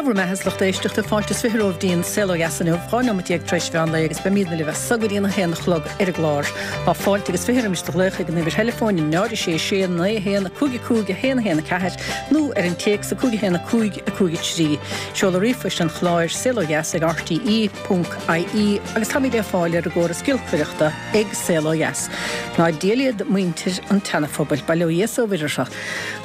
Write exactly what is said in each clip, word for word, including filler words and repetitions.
bhur mbeatha, a lucht éisteachta, fáilte is fiche romhaibh go dtí an Saol Ó Dheas inniu, dhá nóimeat déag tar éis mheán lae agus beimidne libh as so go dtí an a haon a chlog ar an gclár. Tá fáilte agus fiche roimis do ghlaoch ag an uimhir theileafóin náid a sé sé naoi a haon a cúig a cúig a haon a haon a ceathair nó ar an téacs a cúig a haon a cúig a cúig a trí. Seoladh ríomhphoist an chláir saol ó dheas ag R T E ponc I E agus táimid le fáil ar an gcóras giolcaireachta ag Saol Ó Dheas. Ná Dia iad muintir an tSeanaphobail, bail ó Dhia is ó Mhuire orthu.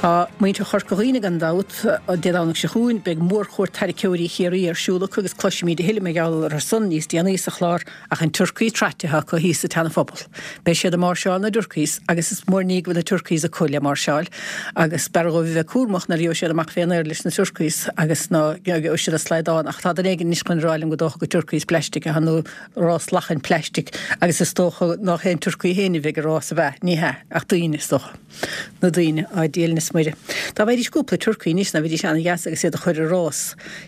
Tá muintir Chorca Dhuibhne gan dabht. Dé Domhnaigh seo chugainn beidh mórchuairt tarraiceoirí Chiarraí ar siúl acu agus cloisfimid a thuilleadh mar gheall air san níos déanaí sa chlár, ach an turcaí traite acu thíos sa tSeanaphobal. Beidh siad ag máirseáil na dturcaís agus is mór ní go bhfuil na turcaís acu le máirseáil agus b'fhearr dóibh bheith cúramach nuair a gheobhaidh siad amach fén aer leis na turcaís agus ná gheobhaidh siad a slaghdán, ach tá duine éigin anois chun rá liom go dócha gur turcaís plastic atá nó rás lachain plastic agus is dócha nach é an turcaí féin a bheidh ag rás a bheith, ní hea, ach daoine is dócha. Na daoine, á Dia linn is Muire. Dá bhfaighidís cúpla turcaí anois ná bheidís an-dheas agus iad a chur ar rás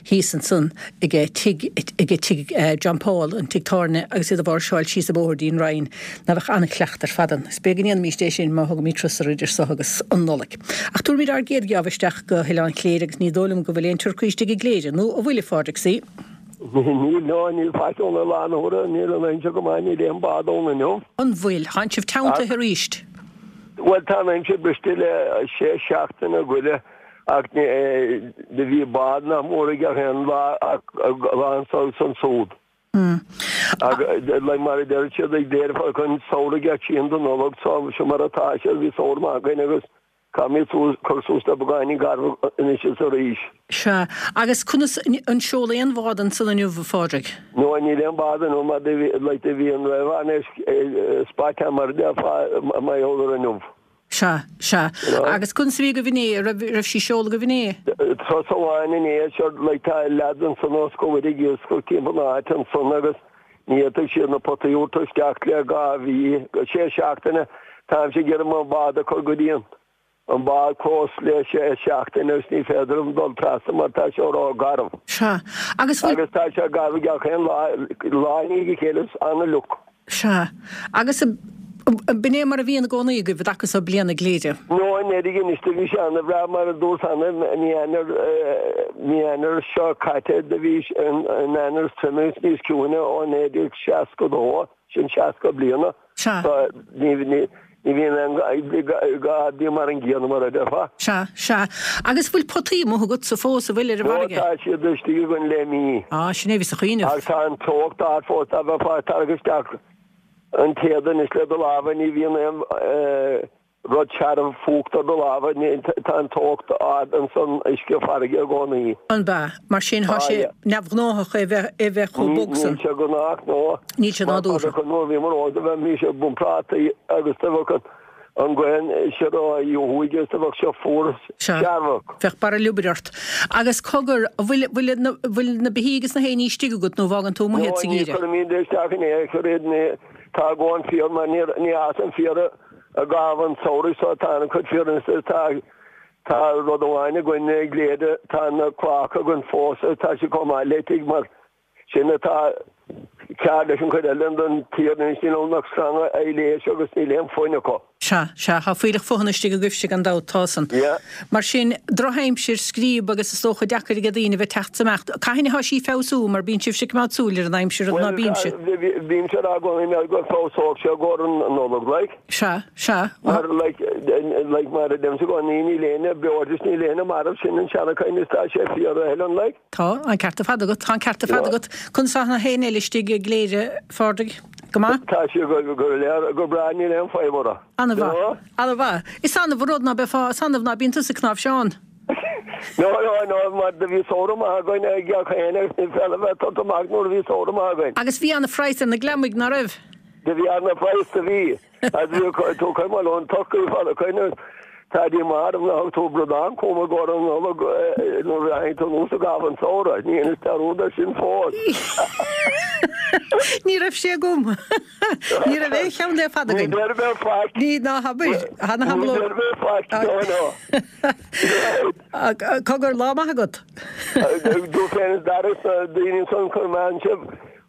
thíos ansan ag tigh ag tigh John Paul, an tigh tábhairne, agus iad a mháirseáil síos an bóthar dtí'n Rinn, ná bheadh an-chleacht ar fad ann. Is b'fhéidir go ndéanfaimís é sin má thugaimid turas ar idir so agus an Nollaig. Ach tabharfaimid ár gcéad gheábh isteach go hOileán Chléire agus ní dóigh liom go bhfuil aon turcaí istigh i gCléire, nó an bhfuil, a Phádraig C? Níl, no, níl faic ann i láthair na huaire, níl an aimsir go maith, níl aon bád ann inniu. An bhfuil? Tánn sibh teanntaithe arís? Bhuel, tá an aimsir briste le sé seachtaine goile ach do bhí bád nach mór ag gach aon lá ach lá anso agus ansúd. Ach like mar a deir siad ag déarfá chun samhradh ag trían de Nollag, so seo mar atá sé, bhí samhradh maith againn agus caithfimid suas cur suas le beagáinín garbh anois is arís. Sea. Agus conas, an seoladh aon bhád ansan inniu, a Phádraig? No, níl aon bád inniu mar do bhí, like do bhí an raibh anois spot mar a déarfá mar gheall ar inniu. Sea, sea. Agus conas a bhí agaibh inné, raibh, raibh sí seolta agaibh inné? Turas amháin inné, sure, like tá leaids ansan os comhair ag iascach timpeall na háite ansan agus ní fhéadfadh siad na potaí a thabhairt isteach le dhá mhí, sé seachtaine, táimse ag iarraidh mo bhád a chur go dtí an an bád clós le sé seachtaine agus ní féidir liom dul trasna mar tá sé ró-gharbh. Sea. Agus bhfuil. Agus tá sé garbh gach aon lá, lá i ndiaidh a chéile is an-fhliuch. Sea. Agus b'in é mar a bhíonn i gcónaí agaibh i dtaca so bliana i gCléire? No, anuraidh anois do bhí sé ana-bhreá mar a dúirt cheana mí Eanáir, mí Eanáir seo caite do bhí an Eanáir is troime is níos ciúine ó naoi déag seasca dó, sin seasca bliana. Sea. So ní, ní, ní bhíonn aon gá bíonn mar an gcéanna mar a déarfá. Sea, sea. Agus bhfuil potaí amuigh agatsa fós, an bhfuil, ar an No, bhfarraige? tá siad istigh againn le mí. Á, sin é a bhíos a chuimhneamh. Ach tá an teocht ard fós, dá mbeifeá ag tarrac isteach an téad anois le do lámha, ní bhíonn aon rud searbh fuacht ar do lámha, tá an teocht ard insan uisce farraige i gcónaí. An bea? Mar sin tá Tá, sé yeah. neamhghnóthach é bheith, é bheith chomh bog san. Níl sé gnách, no. Níl sé Mar nádúrtha. fada nuair a bhíomar óg do bheith bhí sé bun prátaí agus do bheadh an an ghaoth siar ó thuaidh agus do bheadh sé fuar Sea. searbhach. Bheadh barra liobair ort. Agus cogar, an bhfuil, bhfuil na, bhfuil na beithígh agus na héin istigh agat nó bhfágann tú amuigh No, iad sa ní gheimhreadh? chuirimid isteach in aon chor iad, ní, tá a dhóthain féar mar ní, ní fhásann féar i gcaitheamh an tsamhraidh so tá an-chuid féar anois tá, tá rud amháin againn i gCléire, tá na clocha againn fós agus tá siad chomh maith le tigh mar sin atá ceart leis an chuid eile den tír anois, níl ann ach sranga aibhléis agus níl aon foighne acu. Sea, sea, tá fuílleach fothana istigh agaibhse gan dabht, tá san. Yeah. Mar sin, drochaimsir, scríob agus is dócha deacair ag daoine bheith teacht 's imeacht. Cathain atá sí feabhsú mar bíonn sibhse ag coimeád súil ar an aimsir, ná Bhuel, bímse? bímse ag rá i gcónaí mar go feabhsódh sé i gcomhair an Nollag, like. Sea, sea. Mar, like, like, mar a deirimse i gcónaí, níl éinne beo agus níl éinne marbh, sin an seanchaint is tá sé fíor, a Helen, like. Tá an ceart ar fad agat, tá an ceart ar fad Yeah. agat. Conas tá na héin eile istigh i gCléire, Phádraig? Go maith? Tá sé go go léir go breá, níl aon fadhb orthu. An-mhaith. An-mhaith. Is annamh an rud ná beifeá, is annamh ná bíonn tusa ag cnáimhseán. No, no, no, mar do bhí samhradh maith againn ag gach éinne agus ní féidir bheith tugtha amach nuair a bhí samhradh maith againn. Agus bhí ana-phraghas ar na gliomaigh, ná raibh? Do bhí ana-phraghas, do bhí. Agus bhí tú cuimhin ón turcaí fada cuimhin tá dí marbh ná thug tú bradán chugam i gcomhair an Nollag nuair a tháinig tú anuas i gcaitheamh an tsamhraidh. Ní dhéanfas dearúd air sin fós. Ní raibh sé agam. Ní raibh aon cheann le fada Ní againn. deir bheith faic. Ní ná habair. Tha na Ní hamló. deir bheith faic, no, no. Cogar, lá maith agat. Tú féin is Dara is na daoine san chun meán sibh.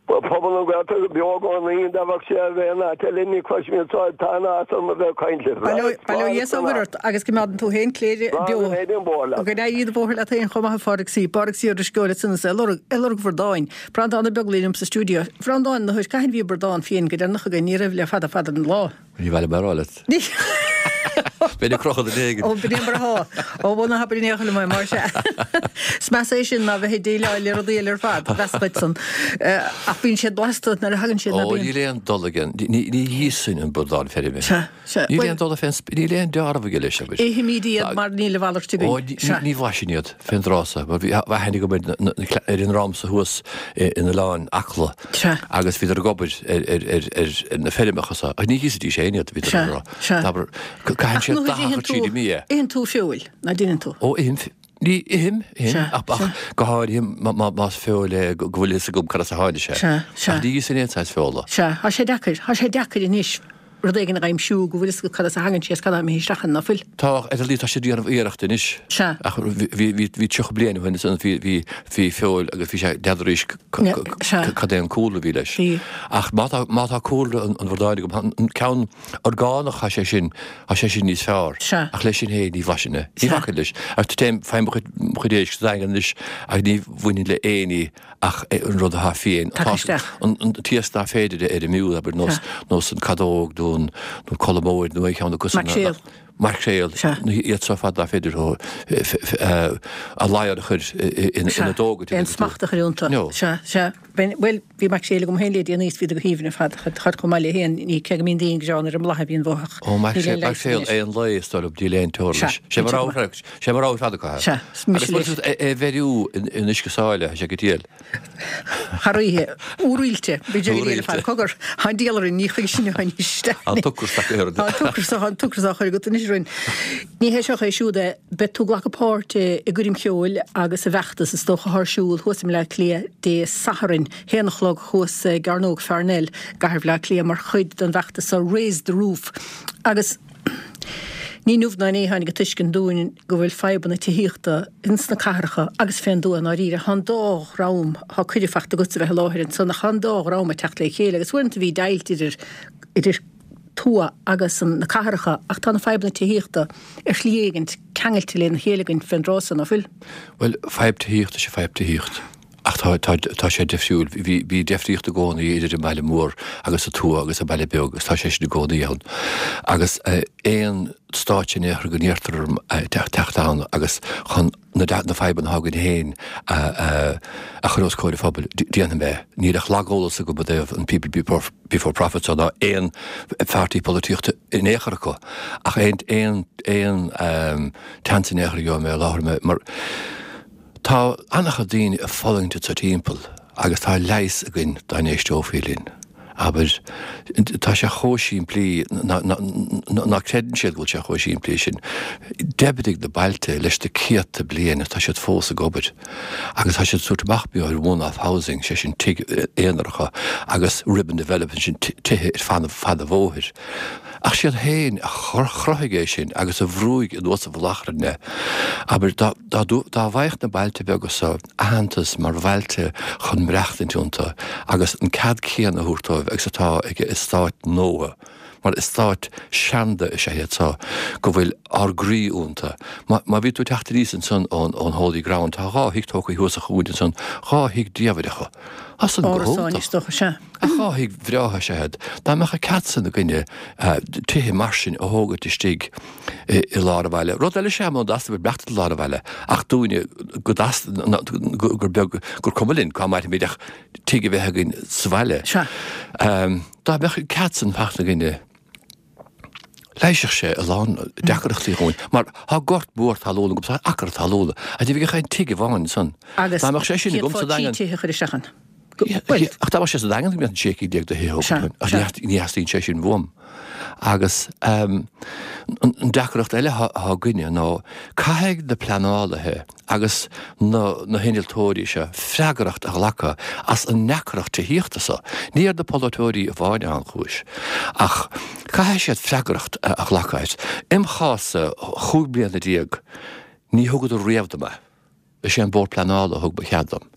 Pobal na Gaeltachta beo i gcónaí, dá bheadh sé a bheith in áit eile ní chloisfinn iad so tá an áthas orm a bheith ag caint libh. Bail ó Dhia is ó Mhuire ort agus coimeádann tú féin Cléire beo. Go n-éirí an bóthar leat. Go n-éirí an bóthar leat féin chomh maith a Phádraig C. Pádraig C. Ó Drisceoil ansan is é ag lorg, ag lorg bhradáin. Breandán Ó Beaglaoich liom sa stiúideo. A Bhreandáin, na huair cathain a bhí bradán fiáin go deireanach againn, ní raibh le fada fada an lá. Ní bheidh mé a rá leat. Beidh ag crochadh duine éigin. Ó, b'in é mar atá. Ó, bhuel, ná habair in aon chor liom é, mar sea. Is measa é sin ná bheith ag déileáil le rudaí eile ar fad, meas duit san. Ach bíonn siad blasta nuair a thagann siad, ná Ó, bíonn? níl aon dul aige. Ní íosfainn an bradán feirme. Sea, sea. Níl Bhuel, aon dul fén, níl aon deáramh aige leis, abair. Ithimid iad mar níl a mhalairt Ó, againn. ní, Sea. ní bhlaisfinn iad fén dtráth so, mar bhí aithne agam ar na, na, ar an ndream so thuas in Oileán Acla. Sea. Agus bhíodar ag obair ar, ar, ar, ar, ar na feirmeacha so. Ach ní íosfaidís féin iad, bhíodar Sea, ag rá. sea. Abair, caitheann Ach siad nuair a dath itheann tríd tú, i mbia. itheann tú feoil, ná déanann tú? Ó, ithim, ní, ithim, ithim, Sea, ach, ach sea. go háirithe má, má, más feoil é go go bhfuil fhios agam cad as a tháinig sé. Sea, sea. Ach ní íosfainn aon saghas feola. Sea, tá sé deacair, tá sé deacair anois rud éigin a aimsiú go bhfuil fhios agat cad as a thagann sé is cad a imithe isteach ann, ná fuil? Tá, ar a laghad tá siad ag déanamh iarracht anois. Sea. Ach bhí, bhí, bhí, bhí tríocha bliain ó shin ansan bhí, bhí, bhí feoil agus bhí sé n'fheadaraís c- c- Ne, c- sea. cad é an cúlra a bhí leis. Bhí. Ach má tá, má tá cúlra an, an bhradáin agam, an ceann orgánach tá sé sin, tá sé sin níos fearr. Sea. Ach leis sin féin ní bhlaisfinn é. Ní Sea. bhacfainn leis. Ach téim, faighim mo chuid, mo chuid éisc sa Daingean anois ach ní bhainfinn le aon ní ach an rud atá fiáin. Tagtha isteach. An, an t-iasc nach féidir ar an miúil, abair, nós, Sea. nós an cadóg nó an, nó colmóid nó aon cheann acu san. Maicréal. Maicréal. Sea. Nó iad so fad nach féidir thó, a ladhar a chur ina dóga. Aon smacht a chur iontu. No. Sea, sea. Bhuel, bhí maicréal agam féin le déanaí is bhí go haoibhinn ar fad, char chomh maith le haon ní, cé go mbíonn daoine ag gearán ar an mboladh a bhíonn uathu. Ó, Níl maicréal, aon leigheas maicréal anois. aon lae is dóigh liom, níl aon teora Sea, leis. Sé mar cinnte go rogha, sé mar rogha fad acu. Sea, is mise Agus leis. bhfuil é bheiriú in in uisce sáile, sé go diail. Thar oíche, úroilte, b'fhéidir go Úroilte. fad cogar, Tá an diabhal orainn, ní chuige sin anois. An t-ocras ach oiread. Tá an t-ocras an t-ocras á chur agat anois orainn. Ní hé seo é siúd é, beidh tú ag glacadh páirt i gcoirm cheoil agus i bhfeachtas is dócha ar siúl thuas i mBleá Cliath Dé Sathairn, haon a chlog thuas i gCearnóg Pharnell, gCathair Bhleá Cliath mar chuid den bhfeachtas seo Raise the Roof. Agus ní inniu ná inné a tháinig an tuiscint dúinn go bhfuil fadhbanna tithíochta ins na cathracha agus fén dtuath i ndáiríre. Tá an dá dhream, tá cuireadh faighte agatsa bheith i láthair ansan, ach tá an dá dhream ag teacht le chéile agus uaireanta bhí deighilt idir idir tuath agus an na cathracha ach tá na fadhbanna tithíochta ar shlí éigint ceangailte lena chéile againn fén dtráth so, ná fuil? Bhuel, fadhb tithíochta is ea fadhb tithíocht. Ach tá, tá, tá sé difriúil. Bhí, bhí difríocht i gcónaí idir an baile mór agus an tuath agus an baile beag agus tá sé sin i gcónaí ann. Agus eh, aon stáitse in aon chor go n-iarrtar orm eh, teacht teacht ann agus chun na, na fadhbanna atá againn féin a, a, a chur os comhair an phobail, déanfaidh mé. Níl ach lageolas agam i dtaobh an People Before, Before Profit so ná aon pháirtí polaitíochta in aon chor acu. Ach aon, aon, aon um, chance in aon chor a gheobhaidh mé i láthair mé mar Tá an-chuid daoine ag fulaingt sa timpeall agus tá leigheas againn dá n-éisteofaí linn. Abair, tá sé chomh simplí ná ná creideann siad go bhfuil sé chomh simplí sin. D'oibrigh na bailte leis na céadta bliain tá siad fós ag obair. Agus tá siad ag tabhairt amach beo ar one-off housing, sé sin tigh aonaracha agus ribbon development sin tithe ar fan fad an bhóthair. Ach siad féin a chruthaigh é sin agus a bhrúigh anuas a mhullach orainn é. Abair dá dá dá bhfaigheadh na bailte beaga so aitheantas mar bhailte chun maireachtaint iontu agus an cead céanna a thabhairt dóibh agus atá ag eastáit nua. Mar eastáit seanda is ea iad so go bhfuil ár gcroí iontu. Má má bhí tú ag teacht aníos ansan ón ón Holy Ground tá dhá thigh tógtha thuas sa chúinne ansan, dhá thigh diamhaireacha. As an go Árasáin hiontach. is dócha, sea. Ach dhá thigh bhreátha is ea iad. Dá mbeadh an cead san againne tithe mar sin a thógaint istigh i lár an bhaile. Rud eile is ea muna dteastaíonn maireachtaint i lár an bhaile ach dúinne go dteast gur beag gur cuma linn cá mairfimid ach tigh a bheith againn sa bhaile. Sea. Dá mbeadh an cead san faighte againne leigheasfadh sé a lán deacrachtaí dhúinn, mar tá gort mór talún agam, tá acra talún, a ní bheadh aon tigh amháin ansan. Agus Dá mbeadh sé sin agam sa chéad fá trí Daingean. tithe a chur isteach ann. Bhuel, Ach dá mbeadh sé sa Daingean go mbeadh an sé cinn déag de thithe Sea, agam, ach sea. ní theastaíonn sé sin uaim. Agus um, an an deacracht eile atá againne ná caithfidh na pleanálaithe agus na, na hinnealtóirí seo freagracht a ghlacadh as an ndeacracht tithíochta so. Ní ar na polaiteoirí amháin an chúis. Ach caithfidh siad freagracht a, a ghlacadh. Im chás-sa chúig bliana déag, ní thugadar riamh dom é. Is é an Bord Pleanála a thug ba chead dom.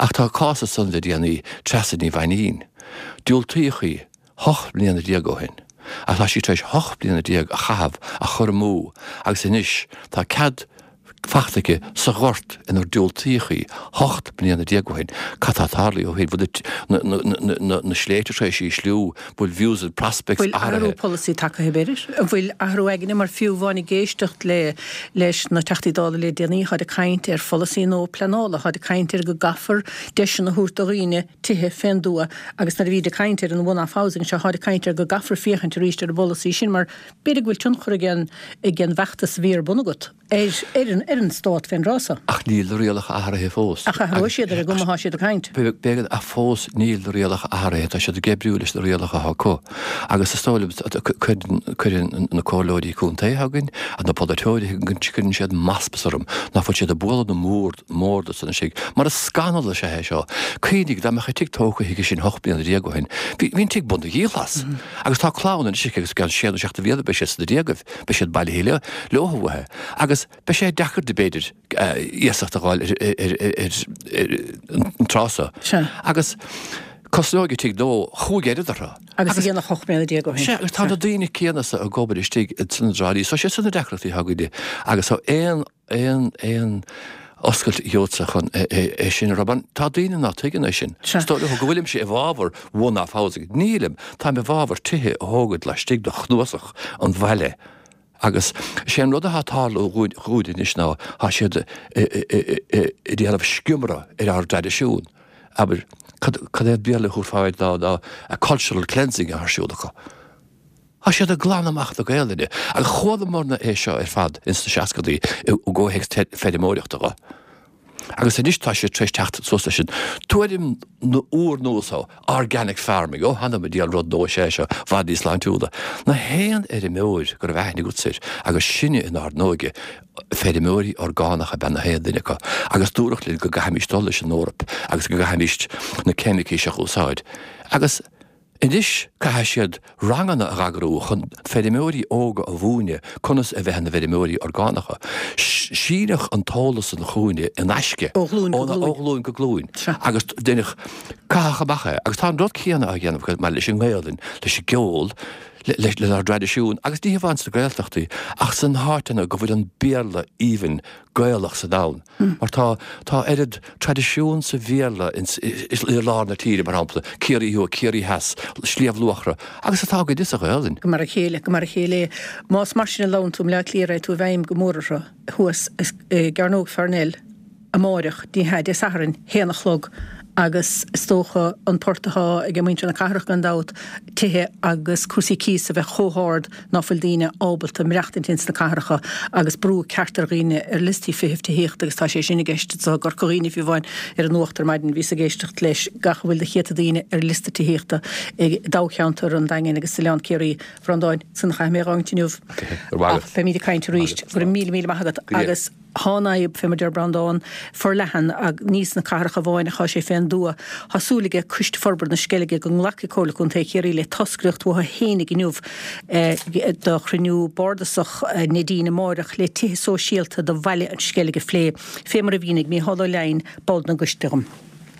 Ach tá cás ansan le déanaí, Treasa Ní Mhainín. Diúltaíodh í hocht mbliana déag ó shin. Ach tá sí tar éis hocht bliana déag a chaitheamh a chur amú agus anois tá cead fachta aici sa ghort inar diúltaíodh í hocht mbliana déag ó shin. Cad tá tarlaithe ó shin? Bhfuil na sléibhte tar éis ísliú? Bhfuil views and prospects Bhfuil athrú athraithe? polasaí tagtha b'fhéidir? An bhfuil athrú aigne mar fiú amháin ag éisteacht le leis na Teachtaí Dála le déanaí tháid ag caint ar pholasaí nua pleanála, tháid ag caint ar go gcaithfear deiseanna a thabhairt do dhaoine tithe fén dtuath agus nuair a bhíd ag caint ar an one-off housing seo tháid ag caint ar go gcaithfear féachaint arís ar an bpolasaí sin mar b'fhéidir go bhfuil tionchar ag an ag an bhfeachtas a bhí ar bun agat ar ar an ar an stát fén dtráth so. Ach níl na rialacha athraithe fós. Ach athróidh siad ar an gcuma atá siad ag caint. B'fhéidir ach fós níl na rialacha athraithe, tá siad ag oibriú leis na rialacha atá acu. Agus is dóigh liom cuireann cuireann na comhairleoirí contae againn, na polaiteoirí againn, cuireann siad masmas orm nach bhfuil siad ag bualadh na mbord mbord san istigh. Mar is scannal is ea é seo. Cuimhnigh dá mbeadh an tigh tógtha chuige sin hocht mbliana déag ó shin, bhí bhí an tigh bun na ghiallás. Agus tá clann anois aici agus i gceann sé nó seacht de bhlianta beidh siad sna déagaibh, beidh siad bailithe leo leo uathu. Agus beidh sé deacair di b'fhéidir iasacht a fháil ar an tráth so. Agus cosnóidh an tigh dó chúig oiread orthu. Agus a dhéanamh ocht mbliana déag ó shin. Sea, agus tá na daoine céanna so ag obair istigh sna drámaí. So sé sin na deacrachtaí atá againne. Agus tá aon aon aon oscailt gheobhadsa chun é sin a rá. Tá daoine ná tuigeann é sin. Is dóigh leo go bhfuilimse i bhfabhar one-off housing. Nílim. Táim i bhfabhar tithe a thógaint laistigh de chnuasach an bhaile. Agus sé an rud atá ag tarlú dhúinn anois ná tá siad ag déanamh sciúradh ar ár dtraidisiún. Abair, cad é an Béarla a thabharfá air ná ná a cultural cleansing atá ar siúl acu. Tá siad ag glanadh amach na Gaelainne. Agus chualamarna é seo ar fad ins na seascadaí i gcomhthéacs feirmeoireachta dho. Agus anois tá siad tar éis teacht suas leis an tuairim úrnua so, organic farming, ó th'anam 'on diabhal rud nua is ea é seo, bhfad níos sláintiúla. Na haon fheirmeoir go raibh aithne agatsa air, agus sinne inár n-óige, feirmeoirí orgánacha ab ea na haon duine acu, agus dúradh linn go gcaithfimís dul leis an Eoraip agus go gcaithfimís na ceimicí seo a úsáid. Agus. Anois caithfidh siad ranganna a eagrú chun feirmeoirí óga a mhúineadh conas a bheith ina bhfeirmeoirí orgánacha. Síneadh an t-eolas san chugainne in aisce Ó ghlúin go glúin. Ó ghlúin go glúin. Agus deineadh caitheadh amach é. Agus tá an rud céanna á dhéanamh acu maidir leis an nGaelainn, leis an gceol, lenár dtraidisiún, agus ní hamháin sna Gaeltachtaí ach san háiteanna go bhfuil an Béarla aoibhinn Gaelach sa domhan. Mar tá, tá oiread traidisiún sa Bhéarla ins, i lár na tíre, mar shampla, Ciarraí Thuaidh, Ciarraí Theas, Sliabh Luachra, agus atá againne sa Ghaelainn. Go mar a chéile, go mar a chéile é. Más mar sin a labhrann tú, i mBleá Cliath raghaidh tú i bhfeidhm go mór orthu thuas i gCearnóg Pharnell amáireach, ní hea, Dé Sathairn, haon a chlog, agus is dócha an port atá ag muintir na cathrach gan dabht, tithe agus cúrsaí cíos a bheith chomh hard ná fuil daoine ábalta maireachtaint ins na cathracha agus brú ceart ar dhaoine ar liostaí feithimh tithíochta agus tá sé sin i gceist anseo i gCorca Dhuibhne fiú amháin ar an nuacht ar maidin bhíos ag éisteacht leis gach a bhfuil de chéadta daoine ar liosta tithíochta i dtoghcheantar an Daingin agus Oileán Ciarraí. A Bhreandáin, sin a chaithfidh mé a dh'fhágaint inniu ach beimid ag caint arís. Go raibh míle míle maith agat agus. Tá an fhadhb, fé mar deir Breandán, forleathan, ach ní sna cathracha amháin athá sé fén dtuath. Tá súil aige Coiste Forbartha na Sceilge go nglacfaidh Comhairle Contae Chiarraí le toscaireacht uathu fhéinig inniu do chruinniú bardasach Neidín amáireach le tithe sóisialta do Bhaile an Sceilg a phlé, fé mar a mhínigh Mícheál Ó Leidhin, ball den gcoiste dhom.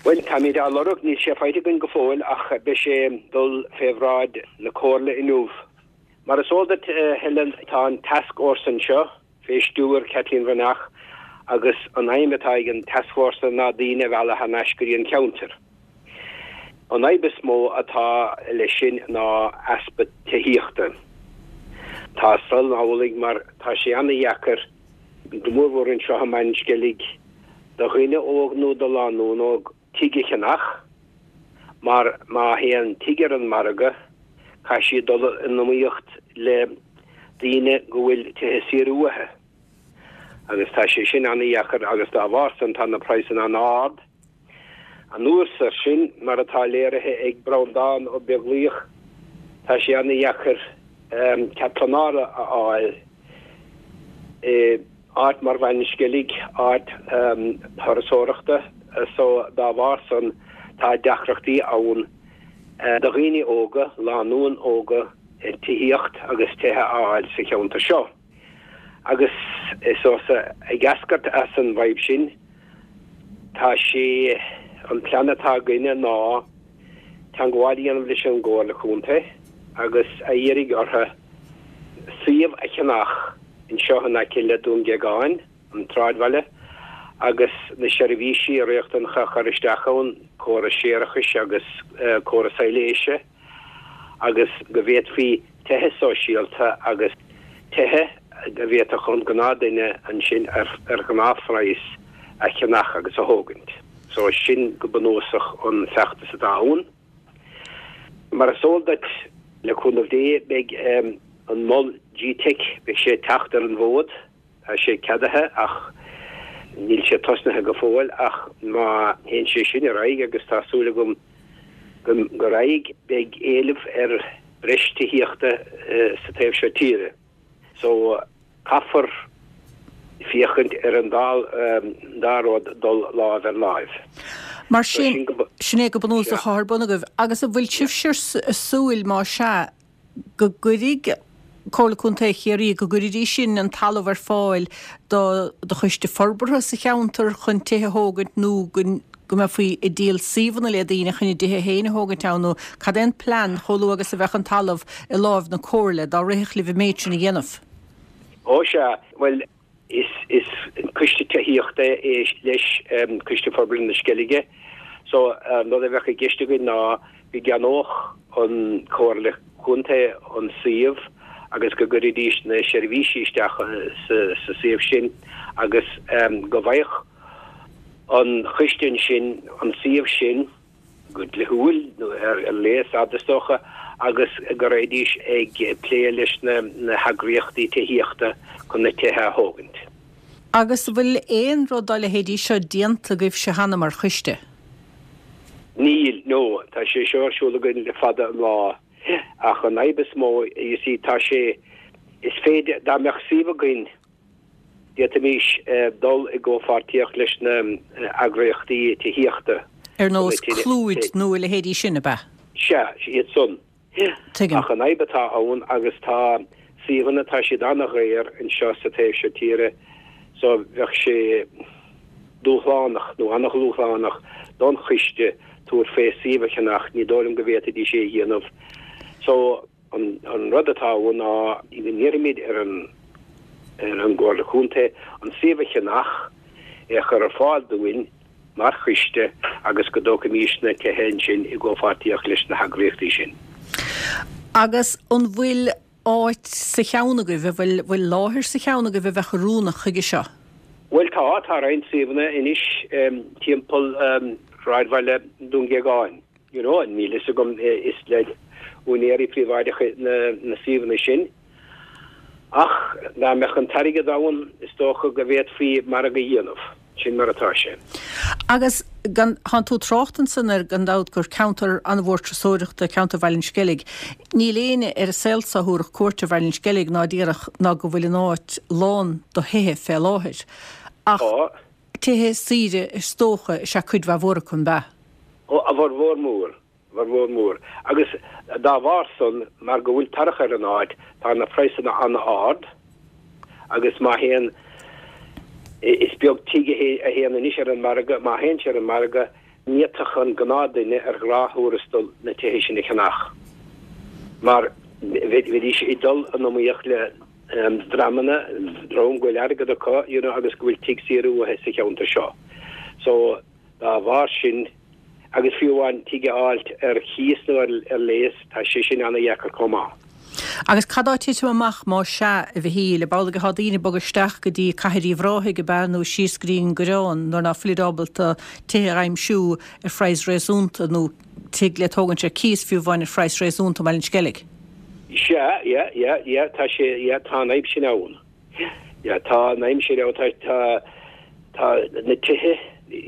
Bhuel, táimid á lorg, níl sé faighte againn go fóill ach beidh sé ag dul fé bhráid na Comhairle inniu. Mar is eol duit, Helen, tá an tascfhórsa anseo, fé stiúir Kathleen Bhreathnach agus an aidhm atá ag an tascfhórsa ná daoine a mhealladh thar n-ais go dtí an ceantar. An fhadhb is mó atá leis sin ná easpa tithíochta. Tá san amhlaidh mar tá sé ana-dheacair, go mórmhór anseo i mBaile an Sceilg, do dhuine óg nó do lánúin óg tigh a cheannach mar má théann tigh ar an margadh caithfidh siad dul in iomaíocht le daoine go bhfuil tithe saora uathu agus tá sé sin ana-dheacair agus dá bharr san tá na praghsanna an-ard. Anuas air sin, mar atá léirithe ag Breandán Ó Beaglaoich, tá sé ana-dheacair cead pleanála a fháil i áit mar Bhaile an Sceilg, áit thurasóireachta, so dá bharr san tá deacrachtaí ann do dhaoine óga, lánúin óga, tithíocht agus tithe a fháil sa cheantar seo. Agus is ag eascairt as an bhfadhb sin Tá sé, an plean atá againne ná teagmháil a dhéanamh leis an gComhairle Contae agus a iarraidh orthu suíomh a cheannach anseo in aice le Dún Géagáin, an tsráidbhaile, agus na seirbhísí riachtanacha a chur isteach ann, córas séarachais agus córas soiléise, agus go bhféadfaí tithe sóisialta agus tithe a bhféadfadh an gnáthduine ansin ar ghnáthphraghas a cheannach agus a thógaint. So sin go bunúsach an feachtas atá ann. Mar is eol duit, le cúnamh Dé, beidh an mol G-Teic, beidh sé ag teacht ar an bhfód, tá sé ceadaithe ach níl sé tosnaithe go fóill ach má théann sé sin ar aghaidh, agus tá súil agam go raghaidh, beidh éileamh ar breis tithíochta sa taobh seo tíre. So caithfear féachaint ar an dá dá rud dul láimh ar láimh. Mar sin, sin é go bunúsach atá ar bun agaibh. Agus an bhfuil sibhse ag súil, má sea, go gcuirfidh Comhairle Contae Chiarraí, go gcuirfidís sin an talamh ar fáil do do choiste forbartha sa cheantar chun tithe a thógaint nó go go mbeifí ag díol suíomhanna le daoine chun a dtithe féin a thógaint ann nó cad é an plean chomh luath agus a bheadh an talamh i láimh na Comhairle dá rithfeadh libh an méid sin a dhéanamh? Ó sea, bhuel, is is coiste tithíochta é leis Coiste Forbartha na Sceilge so an rud a bheadh i gceist againn ná go gceannódh an Chomhairle Contae an suíomh agus go gcuirfidís na seirbhísí isteach sa sa suíomh sin agus go bhfaigheadh an choiste ansin an suíomh sin go dlíthiúil nó ar léas fhad is dócha agus go raghaidís ag plé leis na na heagraíochtaí tithíochta chun na tithe a thógaint. Agus an bhfuil aon rud dá leithéidí seo déanta agaibhse cheana mar choiste? Níl, no. Tá sé seo ar siúl againn le fada an lá. Ach an fhadhb is mó, you see, tá sé, is féidir, dá mbeadh suíomh againn, d'fhéadfaimis dul i gcomhpháirtíocht leis na heagraíochtaí tithíochta. Ar nós Clúid nó a leithéidí sin, ab ea? Sea, iad san. Tuigim. Ach an fhadhb atá ann, agus tá suíomhanna, tá siad an-dhaor anseo sa taobh seo tíre, so bheadh sé dúshlánach, nó an-dhúshlánach don choiste tabhairt fé suíomh a cheannach, ní dóigh liom go bhféadfaidís é a dhéanamh. So an an rud atá ann ná go n-iarraimid ar an ar an gComhairle Contae an suíomh a cheannach, é a chur ar fáil dúinn mar choiste agus go dtógfaimis na tithe ansin i gcomhpháirtíocht leis na heagraíochtaí sin. Agus an bhfuil áit sa cheann agaibh, an bhfuil bhfuil láthair sa cheann agaibh a bheadh oiriúnach chuige seo? Bhuel tá, tá roinnt suíomhanna anois timpeall shráidbhaile Dún Géagáin. You know, níl fhios agam, is le úinéirí príobháideacha na suíomhanna sin. Ach dá mbeadh an t-airgead ann, is dócha go bhféadfaí margadh a dhéanamh. Sin mar atá sé. Agus gan, thánn tú ag trácht ansan ar, gan dabht, gur ceantar an-mhór turasóireachta ceantar Bhaile an Sceilg. Níl éinne ar an saol so a thabharfadh cuairt ar Bhaile an Sceilg ná déarfadh ná go bhfuil an áit lán do thithe fé láthair. Ach Tá. tithe saoire is dócha is ea cuid mhaith mhór acu, an b'ea? Ó, a bhformhór mór. Formhór mór. Agus dá bharr san, mar go bhfuil tarrach ar an áit, tá na praghsanna an-ard agus má théann, is beag tigh a théann anois ar an margadh, má théann sé ar an margadh, ní fhéadfadh an gnáthdhuine ar ghnáth-thuarastal na tithe sin a cheannach mar bheidís ag dul in iomaíocht le dreamanna, dream go bhfuil airgead acu, you know, agus go bhfuil tigh saor uathu sa cheantar seo. So, dá bharr sin, agus fiú amháin tigh a fháilt ar chíos nó ar léas, tá sé sin ana-dheacair chomh maith. Agus cad tá ag titim amach más ea, a Mhichíl, ab amhlaidh atá daoine ag bogadh isteach go dtí Cathair Uíbh Ráthaigh, ab ea, nó síos go dtí an Coireán, nuair ná fuilid ábalta tithe a aimsiú ar phraghas réasúnta, nó tigh le tógaint ar cíos fiú amháin ar phraghas réasúnta i mBaile an Sceilg? Sea, yeah, yeah, yeah, tá sé, yeah, tá an fhadhb sin ann. Yeah, tá an fhadhb sin ann, tá, tá, tá na tithe,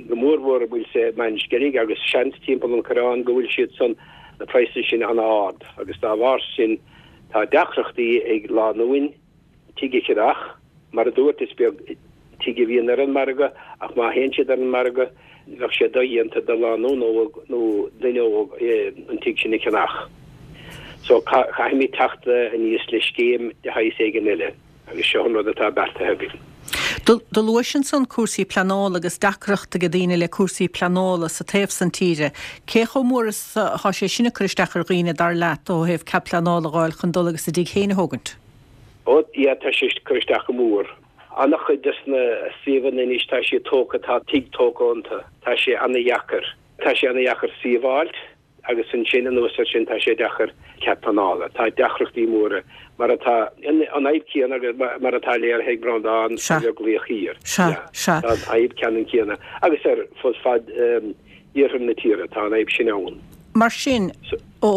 go mór mhór i mBaile an Sceilg agus seans timpeall an Choireáin go bhfuil siad san, na praghsanna sin an-ard agus dá bharr sin tá deacrachtaí ag lánúin tigh a cheannach. Mar a dúirt, is beag tigh a bhíonn ar an margadh ach má théann siad ar an margadh bheadh sé dodhéanta do lánúin óg nó duine óg an tigh sin a cheannach. So caithfimid teacht aníos le scéim de shaghas éigin eile. Agus seo an rud atá beartaithe againn. Do luais ansan cúrsaí pleanála agus deacracht ag daoine le cúrsaí pleanála sa taobh san tíre. Cé chomh mór is atá sé sin ag cur isteach ar dhaoine dar leat ó thaobh cead pleanála a fháil chun dul agus a dtigh féin a thógaint? Ó, yeah, tá sé ag cur isteach go mór. An-chuid des na suíomhanna anois tá siad tógtha, tá tigh tógtha iontu. Tá sé ana-dheacair. Tá sé ana-dheacair suíomh a fháilt. Agus ansin, anuas air sin, tá sé deacair cead pleanála. Tá deacrachtaí móra, mar atá, an fhadhb céanna agus mar atá léirithe ag Breandán Sea. Beaglaoich Thiar. Sea, sea. Tá an fhadhb ceannann céanna. Agus ar fud fad iarthar na tíre, tá an fhadhb sin ann. Mar sin, ó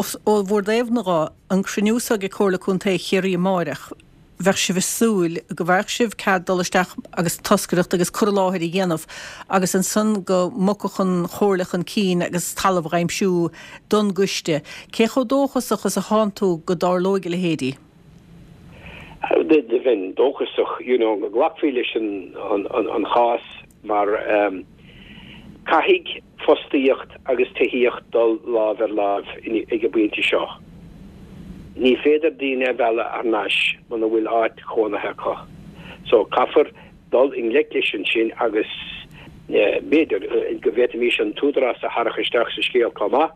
bhur dtaobh-na dho, an cruinniú so ag Comhairle Contae Chiarraí amáireach, bheadh sibh ag súil go bhfaigheadh sibh cead dul isteach agus toscaireacht agus cur i láthair a dhéanamh agus ansan go mbogfadh an Chomhairle chun cinn agus talamh a aimsiú don gcoiste. Cé chomh dóchasach is atánn tú go dtarlóidh a leithéidí? Do bheinn dóchasach you know go nglacfaí leis an an chás mar caithfidh fostaíocht agus tithíocht dul lámh ar láimh ag an bpointe seo. Ní féidir daoine a mhealladh thar n-ais muna bhfuil áit chónaithe acu. So caithfear dul i ngleic leis ansin agus b'fhéidir go bhféadfaimis an t-údarás a tharrac isteach sa scéal chomh maith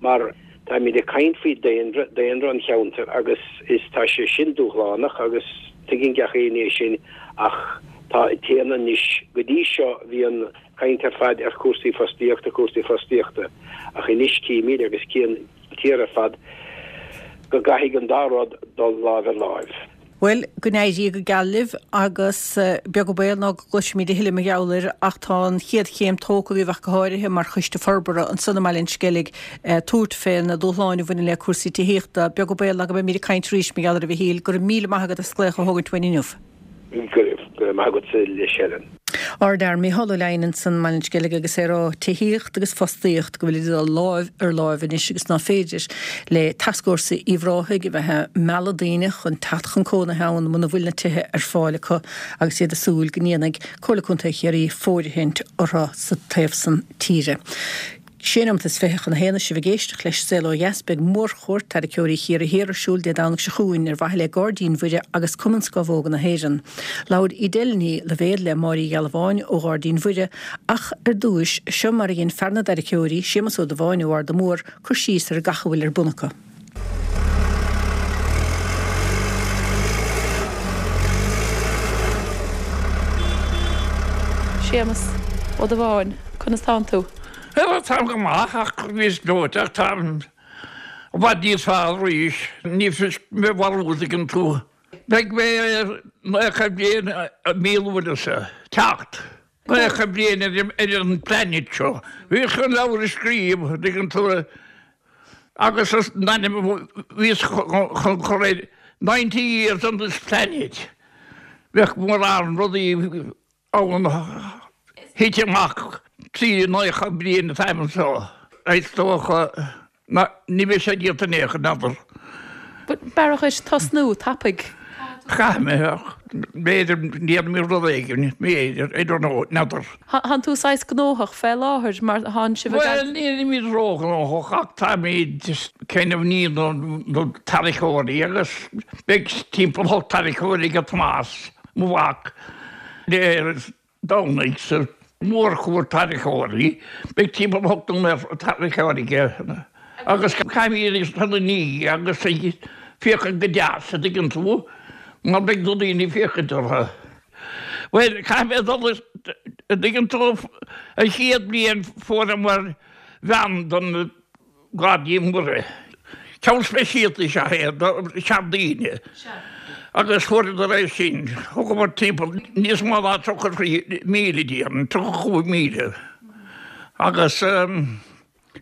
mar táimid ag caint faoi daonra, daonra an cheantair agus is tá sé sin dúshlánach agus tuigeann gach éinne é sin ach tá téann anois go dtí seo bhí an caint ar fad ar chúrsaí fostaíochta, cúrsaí fostaíochta ach anois címid agus cíonn an tír ar fad go gcaithfidh an dá rud dul láimh ar láimh. Bhuel, go n-éirí go geal libh agus beag an baol ná go gcloisfimid a thuilleadh mar gheall air ach tá an chéad chéim tógtha agaibh ach go háirithe mar choiste forbartha ansan i mBaile an Sceilg tabhairt fé na dúshláin a bhaineann le cúrsaí tithíochta. Beag an baol ná go mbeimid ag caint arís mar gheall air a Mhichíl. Go raibh míle maith agat as glaoch a thógaint uainn inniu. Go raibh maith agatsa a Helen. Ardfhear Micheál Ó Leidhin ansan i mBaile an Sceilg agus é ag rá tithíocht agus fostaíocht go bhfuil ag dul láimh ar láimh anois agus ná féidir le Tascfhórsa Uíbh Ráthaigh a bheith ag mealladh daoine chun teacht chun cónaithe ann muna bhfuil na tithe ar fáil acu agus iad ag súil go ndéanfaidh Comhairle Contae Chiarraí fóirithint orthu sa taobh san tíre. Sé nóiméad is fiche chun a haon is sibh ag éisteacht leis Saol Ó Dheas. Beidh mórchuairt tarraiceoirí Chiarraí Thiar ar siúl Dé Domhnaigh seo chugainn ar mhaithe le Gairdín Mhuire agus Cumann Scamhóga na hÉireann. Labhair Edel Ní Loibhéad le Máire Uí Ghealbháin ó Ghairdín Mhuire ach ar dtúis, seo mar a dhein fear na dtarraiceoirí, Séamus Ó Dubháin ó Arda Mór, cur síos ar gach a bhfuil ar bun acu. Séamus Ó Dubháin, conas tánn tú? Bhuel, táim go maith ach níos gleoite ach táim i bhfad níos fearr arís. Ní fios mé bharúil dtuigeann tú. Beidh mé naocha bliain i mí Lúnasa. Teacht. Naocha bliain ar an planet seo. Bhíos chun leabhar a scríobh, dtuigeann tú, agus an ainm a bhíos chun cur air, Ninety Years on this Planet. Bheadh mórán rudaí ann thit amach trí naocha bliain atáim anseo. Is dócha ná ní bheidh sé déanta in aon chor, n'fheadar. But b'fhearr dhuit tosnú tapaidh. Caithfidh mé, ach b'fhéidir ndéanfaidh mé rud éigin, b'fhéidir, I don't know, n'fheadar. Thánn tú saghas gnóthach fé láthair mar thánn sibh ag. Bhuel, nílimid róghnóthach ach táimid kind of ní na tarraiceoirí agus beidh timpeall hocht tarraiceoirí ag Tomás, mo mhac. Dé Domhnaigh sa mhórchuairt tarraiceoirí, beidh timpeall ocht dtarraiceoirí aige agus caithfimid iad a ní agus ag féachaint go deas, a dtuigeann tú, mar beidh na daoine ag féachaint orthu. Bhuel, caithfidh mé dul, a dtuigeann tú, an chéad bhliain fuaireamar veain don Gairdín Mhuire. Ceann speisialta is ea é do sheandaoine agus fuaireadar é sin. Thugamar timpeall níos mó ná tríocha trí míle déarfainn, tríocha cúig míle agus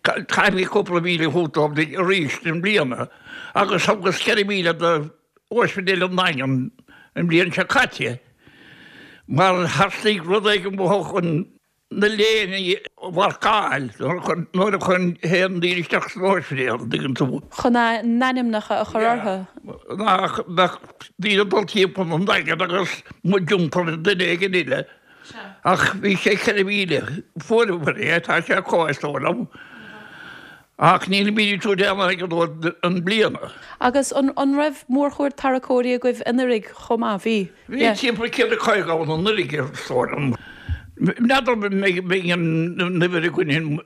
caithfimid cúpla míle a thabhairt dóibh arís i mbliana agus thugas ceithre mhíle do Ospidéal an Daingin an bhliain seo caite mar theastaigh rud éigin uathu chun na léine a mharcáil nuair a théann daoine isteach san ospidéal, an dtuigeann tú. Chun a n-ainmneacha a chur orthu. Nach mbeadh daoine ag dul timpeall an Daingin agus muid iompar duine éigin eile. Ach bhí sé ceithre mhíle. Fuaireamar é, tá sé acu is dóigh liom. Ach nílimid ag tabhairt aon airgead dóibh an bliana. Agus an an raibh mórchuid tarracóirí agaibh anuraidh chomh maith? Bhí. Bhí timpeall céad a caoga ann anuraidh is dóigh liom. N'fheadar an mbeidh an uimhir againn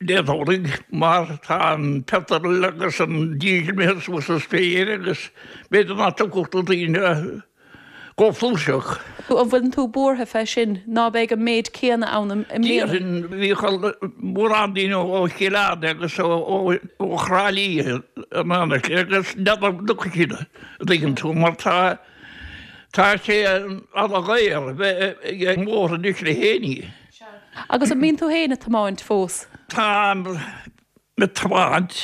Dé Domhnaigh mar tá an petrol agus an diesel imithe suas sa spéir agus b'fhéidir nach dtiocfadh na daoine chomh flúirseach. An bhfuileann tú buartha fé sin, ná beidh an méid céanna ann i mbliana? Déarfainn, bhíodh mórán daoine ó Chill Airne agus ó Thrá Lí in éineacht agus n'fheadar an dtiocfaidh siad, an dtuigeann tú, mar tá tá sé ana-dhaor a bheith ag an mbóthar anois le héinní. Sea. Agus an mbíonn tú féin ag tiomáint fós? Táim. ag tiomáint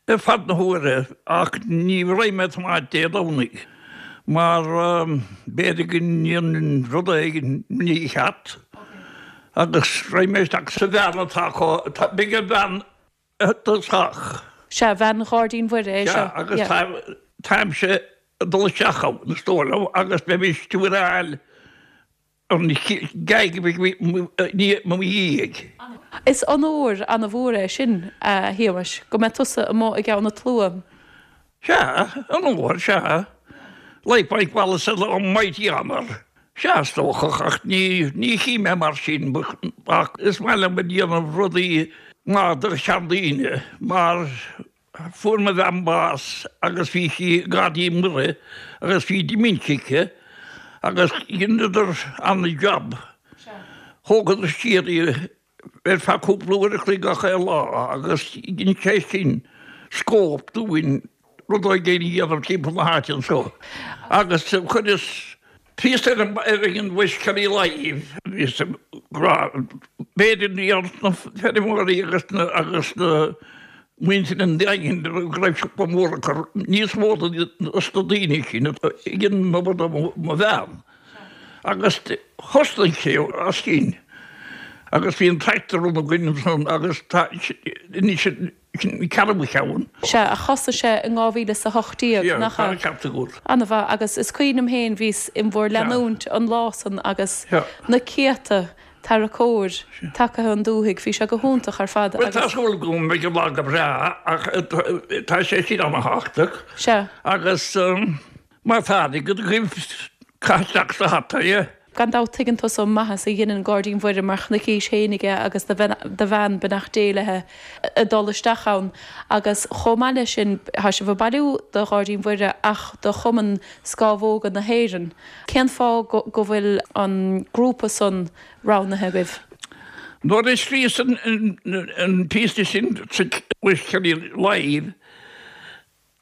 ar fad na huaire ach ní raghaidh mé ag tiomáint Dé Domhnaigh mar b'fhéidir go ndéanfainn rud éigin mícheart agus raghaidh mé isteach sa veain atá acu, beidh an veain i dtosach. Sea, veain Ghairdín Mhuire é seo. Sea, agus táimse ag dul isteach ann, is dóigh liom, agus beidh mé stiúir a fháil An ghaig a bhí i mo dhiaidh. Is onóir ana-mhór é sin, a Shéamais, go mbeidh tusa amuigh i gceann an tslua. Sea, onóir, sea. Like Mike Wallace a mighty honour. Sea, is dócha, ach ní chím é mar sin, ach is maith liom a dhéanamh rudaí maith do sheandaoine, mar Fuair mo bhean bás agus bhí sí i nGairdín Muire agus bhí dementia aici agus dheineadar ana-jab. Thógadar siar í ar feadh cúpla uair a chloig gach aon lá agus dhein sé sin scóip dúinn rud éigin a dhéanamh timpeall na háite anseo. Agus chuireas píosa ar an West Kerry Live, bhíos ag rá b'fhéidir na feirmeoirí agus na agus na muintir an Daingin go raibh siopa mór acu, níos mó dos na daoine sin a dhein an obair do mo bhean. Agus thosnaigh sé as sin agus bhí an tractor run againn ansan agus tá anois sin an ceathrú ceann. Sea, ach thosaigh sé in dhá mhíle is a hocht déag, nach ea? Sea, tá an ceart agat. Ana-mhaith, agus is cuimhin liom féin, bhíos in bhur leanúint an lá san agus na céadta tarracóir tagtha 'on dúthaigh. Bhí sé go hiontach ar fad Bhuel, tá súil agam go mbeidh an lá go breá ach tá sé sin ana-thábhachtach. Sea. Agus má tá airgead agaibh, caith isteach sa hata é. Gan dabht tuigeann tusa an maitheas a dheineann Gairdín Mhuire mar chonaicís fhéinig é agus do bhean, beannacht Dé léi, ag dul isteach ann. Agus chomh maith leis sin, tá sibh ag bailiú do Ghairdín Mhuire ach do Chumann Scámhóga na hÉireann. Cén fáth go bhfuil an grúpa san roghnaithe agaibh? Nuair a scríos an píosa sin sa West Kerry Live,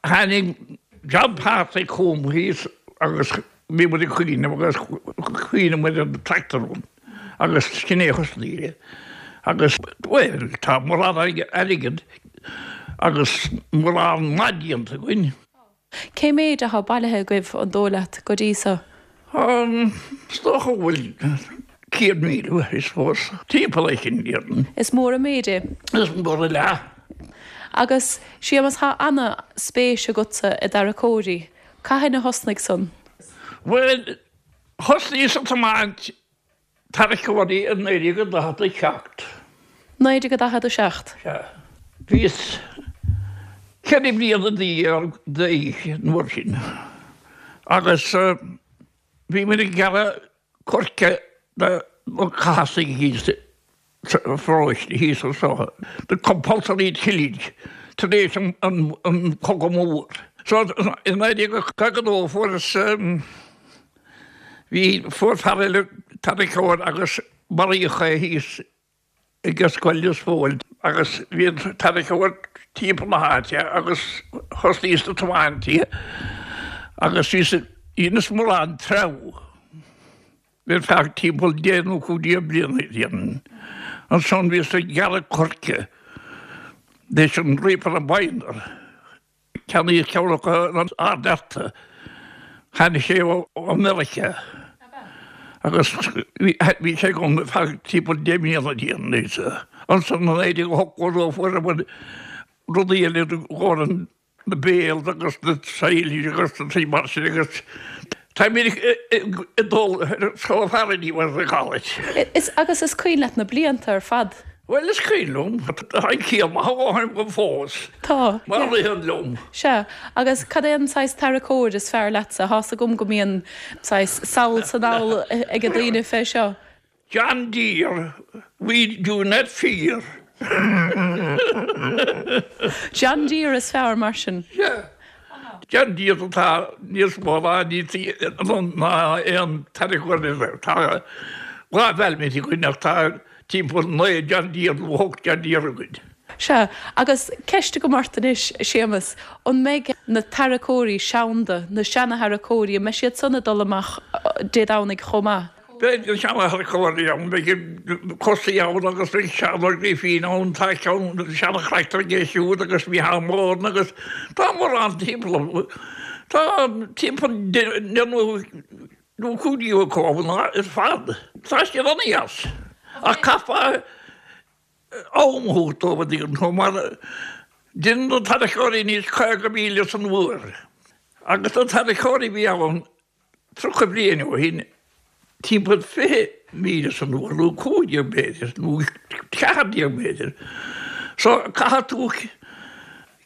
tháinig John Patrick chugam thíos agus bhí muid ag cuimhneamh agus chuimhnigh muid ar an tractor run agus sin é a thosnaigh é. Agus, bhuel, tá mórán airgid agus mórán maith déanta againn. Cé méid atá bailithe agaibh, an dóigh leat, go dtí so? Is dócha go bhfuil céad míle, I suppose, timpeall é sin, déarfainn. Is mór an méid é. Is mór an leath. Agus, Séamas, tá ana-spéis agatsa i dtarracóirí. Cathain a thosnaigh san? Bhuel, thosnaíos ag tiomáint tarracóirí i naoi déag a daichead a seacht. Naoi déag a daichead a seacht. Sea. Bhíos ceithre bliana déag d'aois an uair sin agus bhí muid ag gearradh coirce do na Cathasaigh thíos sa pharóiste thíos anseo, the compulsory tillage tar éis an Cogadh Mór. So i naoi déag caoga a dó fuaireas Bhí, fuair fear eile tarracóir agus maraíodh é thíos ag Scoil Lios Póil agus bhí an tarracóir timpeall na háite agus thosnaíos ag tiomáint í agus bhíos, dheineas mórán treabhadh ar feadh timpeall deich nó cúig déag bliana déarfainn. Ansan bhíos ag gearradh coirce leis an reaper and binder. Ceannaíodh ceann acu in Ard Fhearta. Tháinig sé ó Mheiriceá agus bhí sé agam ar feadh timpeall deich mbliana déarfainn. Ansan i naoi déag ochtó a dó fuaireamar rudaí eile i gcomhair na bales agus na silage agus na rudaí mar sin agus táimid ag dul so far anyway as they call it. Agus is cuimhin leat na blianta ar fad? Bhuel, is cuimhin liom, tá an ciall maith agam go fós. Tá. Mar a ritheann liom. Sea. Agus cad é an saghas tarracóir is fearr leatsa? Tá's agam go mbíonn saghas sall 's anall ag daoine fé seo. John Deere, we do not fear. John Deere is fearr mar sin. Sea. John Deere atá níos mó ná ná aon tarracóir eile. Tá dhá Valmet againn ach tá timpeall naoi John Deere nó ocht John Deere againn. Sea, agus ceist agam ort anois, a Shéamus, an mbeidh na tarracóirí seanda, na seana-tharracóirí, an mbeidh siad san ag dul amach Dé Domhnaigh chomh maith? Beidh na seana-tharracóirí ann, beidh Cosaí ann agus beidh Seán Ó Grifín ann, tá ceann seana-thractor aige siúd agus Micheál Moran agus tá mórán timpeall, tá timpeall deich nó nó cúig déag acu ann ar fad. Tá siad an-deas. Ach caithfear am a thabhairt dóibh, a dtuigeann tú, mar déanann na tarracóirí anois caoga míle san uair agus na tarracóirí a bhí ann tríocha bliain ó shin timpeall fiche míle san uair nó cúig déag b'fhéidir nó ceathair déag b'fhéidir. So caithfidh tú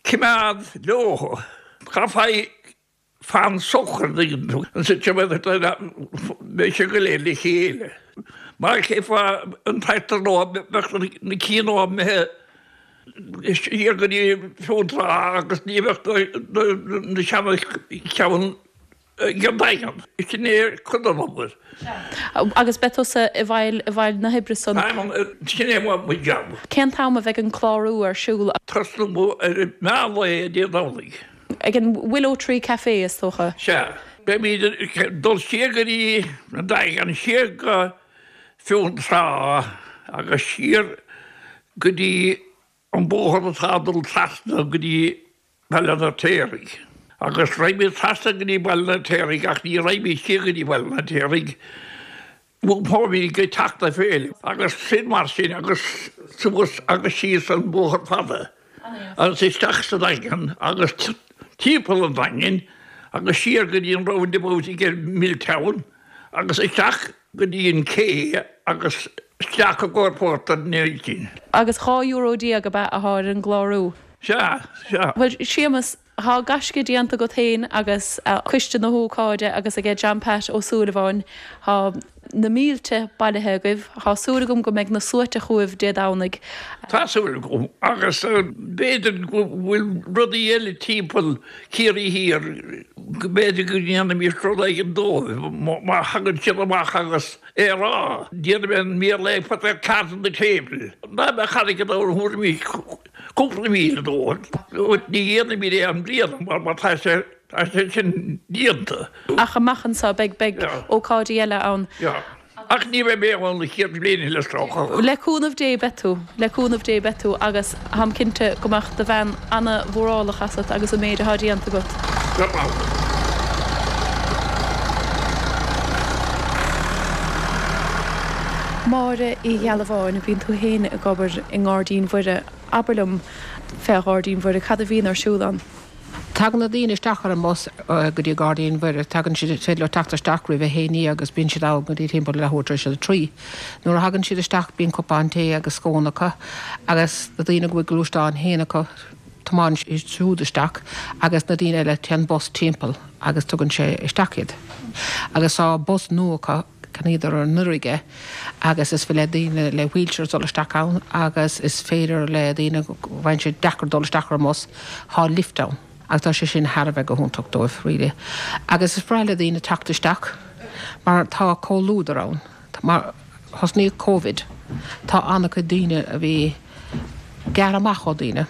coimeád leo. Caithfidh Fan socair an dtuigeann tú, beidh sé go léir le chéile. Mar chífeá an tractor nua, bheadh na cinn nua imithe siar go dtí Fionntrá agus ní bheadh na seana cheann ag an Daingean. Sin é cuid den obair. Agus beidh tusa i bhfeighil i bhfeighil na hoibre san? Sin é mo jab. Cén t-am a bheidh an clárú ar siúl? Tosnú ar meán lae Dé Domhnaigh. Ag an Willow Tree Café, is dócha? Sea. Beimid ag dul siar go dtí an Daingean, siar go Fionntrá agus siar go dtí an bóthar atá ag dul trasna go dtí Baile an Fheirtéaraigh. Agus raghaimid trasna go dtí Baile an Fheirtéaraigh ach ní raghaimid siar go dtí Baile an Fheirtéaraigh. Iompóimid go Teach na Féile agus sin mar sin agus suas agus síos an bóthar fada agus isteach sa Daingean agus timpeall an Daingin agus siar go dtí an roundabout ag Milltown agus isteach go dtí an cé agus isteach i gcomhair Port an Neidín. Agus dhá euro déag ab ea atá ar an gclárú? Sea, sea. Bhuel, Séamus, Tá gaisce déanta agat féin agus coiste na hócáide agus aige John Pat Ó Súilleabháin. Tá na mílte bailithe agaibh. Tá súil agam go mbeidh na sluaite chugaibh Dé Domhnaigh. Tá súil agam. Agus b'fhéidir go bhfuil rudaí eile timpeall Ciarraí Thiar, go mb'fhéidir go ndéanfaimis rud éigin dóibh má thagann siad amach agus é a rá. Déanfaidh mé an Béarla put their cards on the table. Dá mbeadh airgead ann thabharfaimis cúpla míle dóibh. Ní dhéanfaimid é i mbliana mar mar tá sé tá sé sin déanta. Ach amach anseo beidh beidh ócáidí eile ann. Yeah. Ach ní bheidh mé ann an chéad bhliain eile is dócha. Le cúnamh Dé beidh tú, le cúnamh Dé beidh tú agus táim cinnte go mbeadh do bhean ana-mhórálach asat agus an méid atá déanta agat. Go raibh. Máire Uí Ghealbháin, bíonn tú féin ag obair i nGairdín Mhuire. Abair liom fé Ghairdín Mhuire, cad a bhíonn ar siúl ann? Tagann na daoine isteach ar an mbus go dtí Gairdín Mhuire, tagann siad, is féidir leo teacht isteach roimh a haon déag agus bíonn siad ann go dtí timpeall leathuair tar éis a trí. Nuair a thagann siad isteach bíonn cupán tae agus scón acu agus na daoine go bhfuil gluaisteáin féin acu, tiomáineann siad siúd isteach agus na daoine eile téann bus timpeall agus tugann sé isteach iad. Agus tá bus nua acu, Cheannaíodar anuraidh é agus is féidir le daoine le wheelchairs dul isteach ann agus is féidir le daoine go bhfaigheann sé deacair dul isteach ar an mbus, tá lift ann agus tá sé sin thar a bheith go hiontach dóibh really. Agus is breá le daoine teacht isteach mar tá comhluadar ann. Mar thosnaíodh Covid tá an-chuid daoine a bhí gearrtha amach ó daoine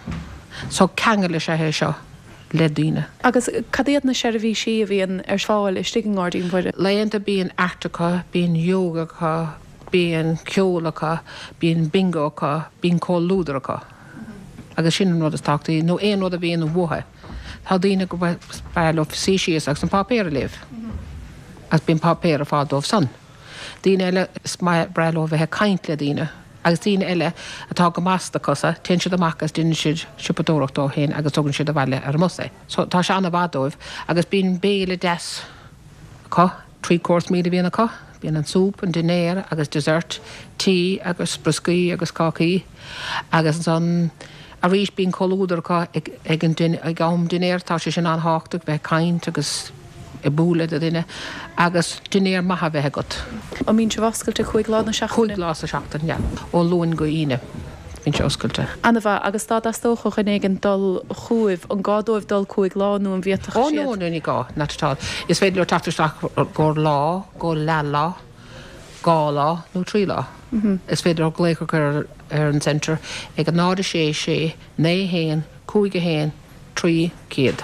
so ceangal is ea é seo. le daoine. Agus cad iad na seirbhísí a bhíonn ar fáil istigh i nGairdín Mhuire? Laethanta bíonn art acu, bíonn yoga acu, bíonn ceol acu, bíonn bingo acu, bíonn comhluadar acu. Agus sin an rud is tábhachtaí, nó aon rud a bhíonn uathu. Tá daoine go breá leo suí síos agus an páipéar a léamh. Agus bíonn páipéar ar fáil dóibh san. Daoine eile, is breá leo bheith ag caint le daoine. Agus daoine eile atá go maith sna cosa, téann siad amach agus déanann siad siopadóireacht dóibh féin agus tugann siad abhaile ar an mbus é. So tá sé an-mhaith dóibh agus bíonn béile deas acu, three course meal a bhíonn acu, Bíonn an súp, an dinnéar agus dessert, tea agus brioscaí agus cácaí agus ansan arís bíonn comhluadar acu ag ag an din ag am dinnéir, tá sé sin an-thábhachtach bheith ag caint agus ag bualadh le duine agus dinnéar maith a bheith agat. An mbíonn sibh oscailte cúig lá na seachtaine? Cúig lá sa seachtain, yeah. Ó Luan go hAoine bíonn sé oscailte. Ana-mhaith. Agus dá dteastódh ó dhuine éigin dul chugaibh, an gá dóibh dul cúig lá nó an bhféadfadh Oh siad? no, no, ní gá, not at all. Is féidir leo teacht isteach go lá, go leathlá, dhá lá nó trí lá. Is féidir leo glaoch a chur ar an centre ag a náid a sé sé naoi haon cúig a haon trí céad.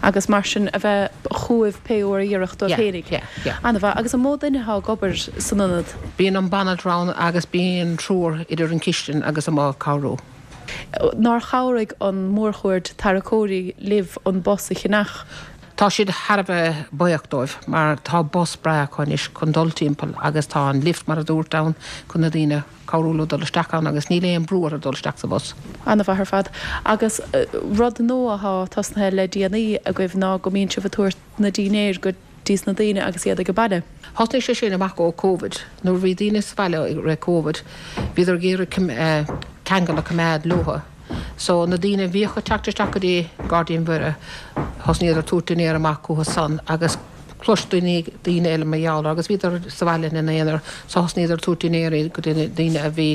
Agus mar sin a bheith chugaibh pé uair a oirfeadh dóibh féinig. Yeah, yeah. Ana-mhaith. Agus an mó duine atá ag obair san ionad? Bíonn an banaltra ann agus bíonn triúr idir an chistin agus amuigh ag cabhrú. Nár chabhraigh an mórchuaird tarracóirí libh an bus a cheannach? Tá siad thar a bheith buíoch dóibh mar tá bus breá acu anois chun dul timpeall agus tá an lift mar a dúirt ann chun na daoine cabhrú leo dul isteach ann agus níl aon brú orthu dul isteach sa bhus. An-mhaith ar fad. Agus rud nua atá tosnaithe le déanaí agaibh ná go mbíonn sibh ag tabhairt na dinnéir go dtí na daoine agus iad ag baile. Thosnaigh sé sin amach ó Covid. Nuair a bhí daoine sa bhaile i rith Covid, bhíodar ag iarraidh ceangal a choimeád leo. So na daoine a bhíodh ag teacht isteach go dtí Gairdín Mhuire, thosnaíodar ag tabhairt dinnéar amach chucu san agus chlois daoine daoine eile mar gheall air agus bhíodar sa bhaile ina n-aonar so thosnaíodar ag tabhairt dinnéirí go dtí daoine a bhí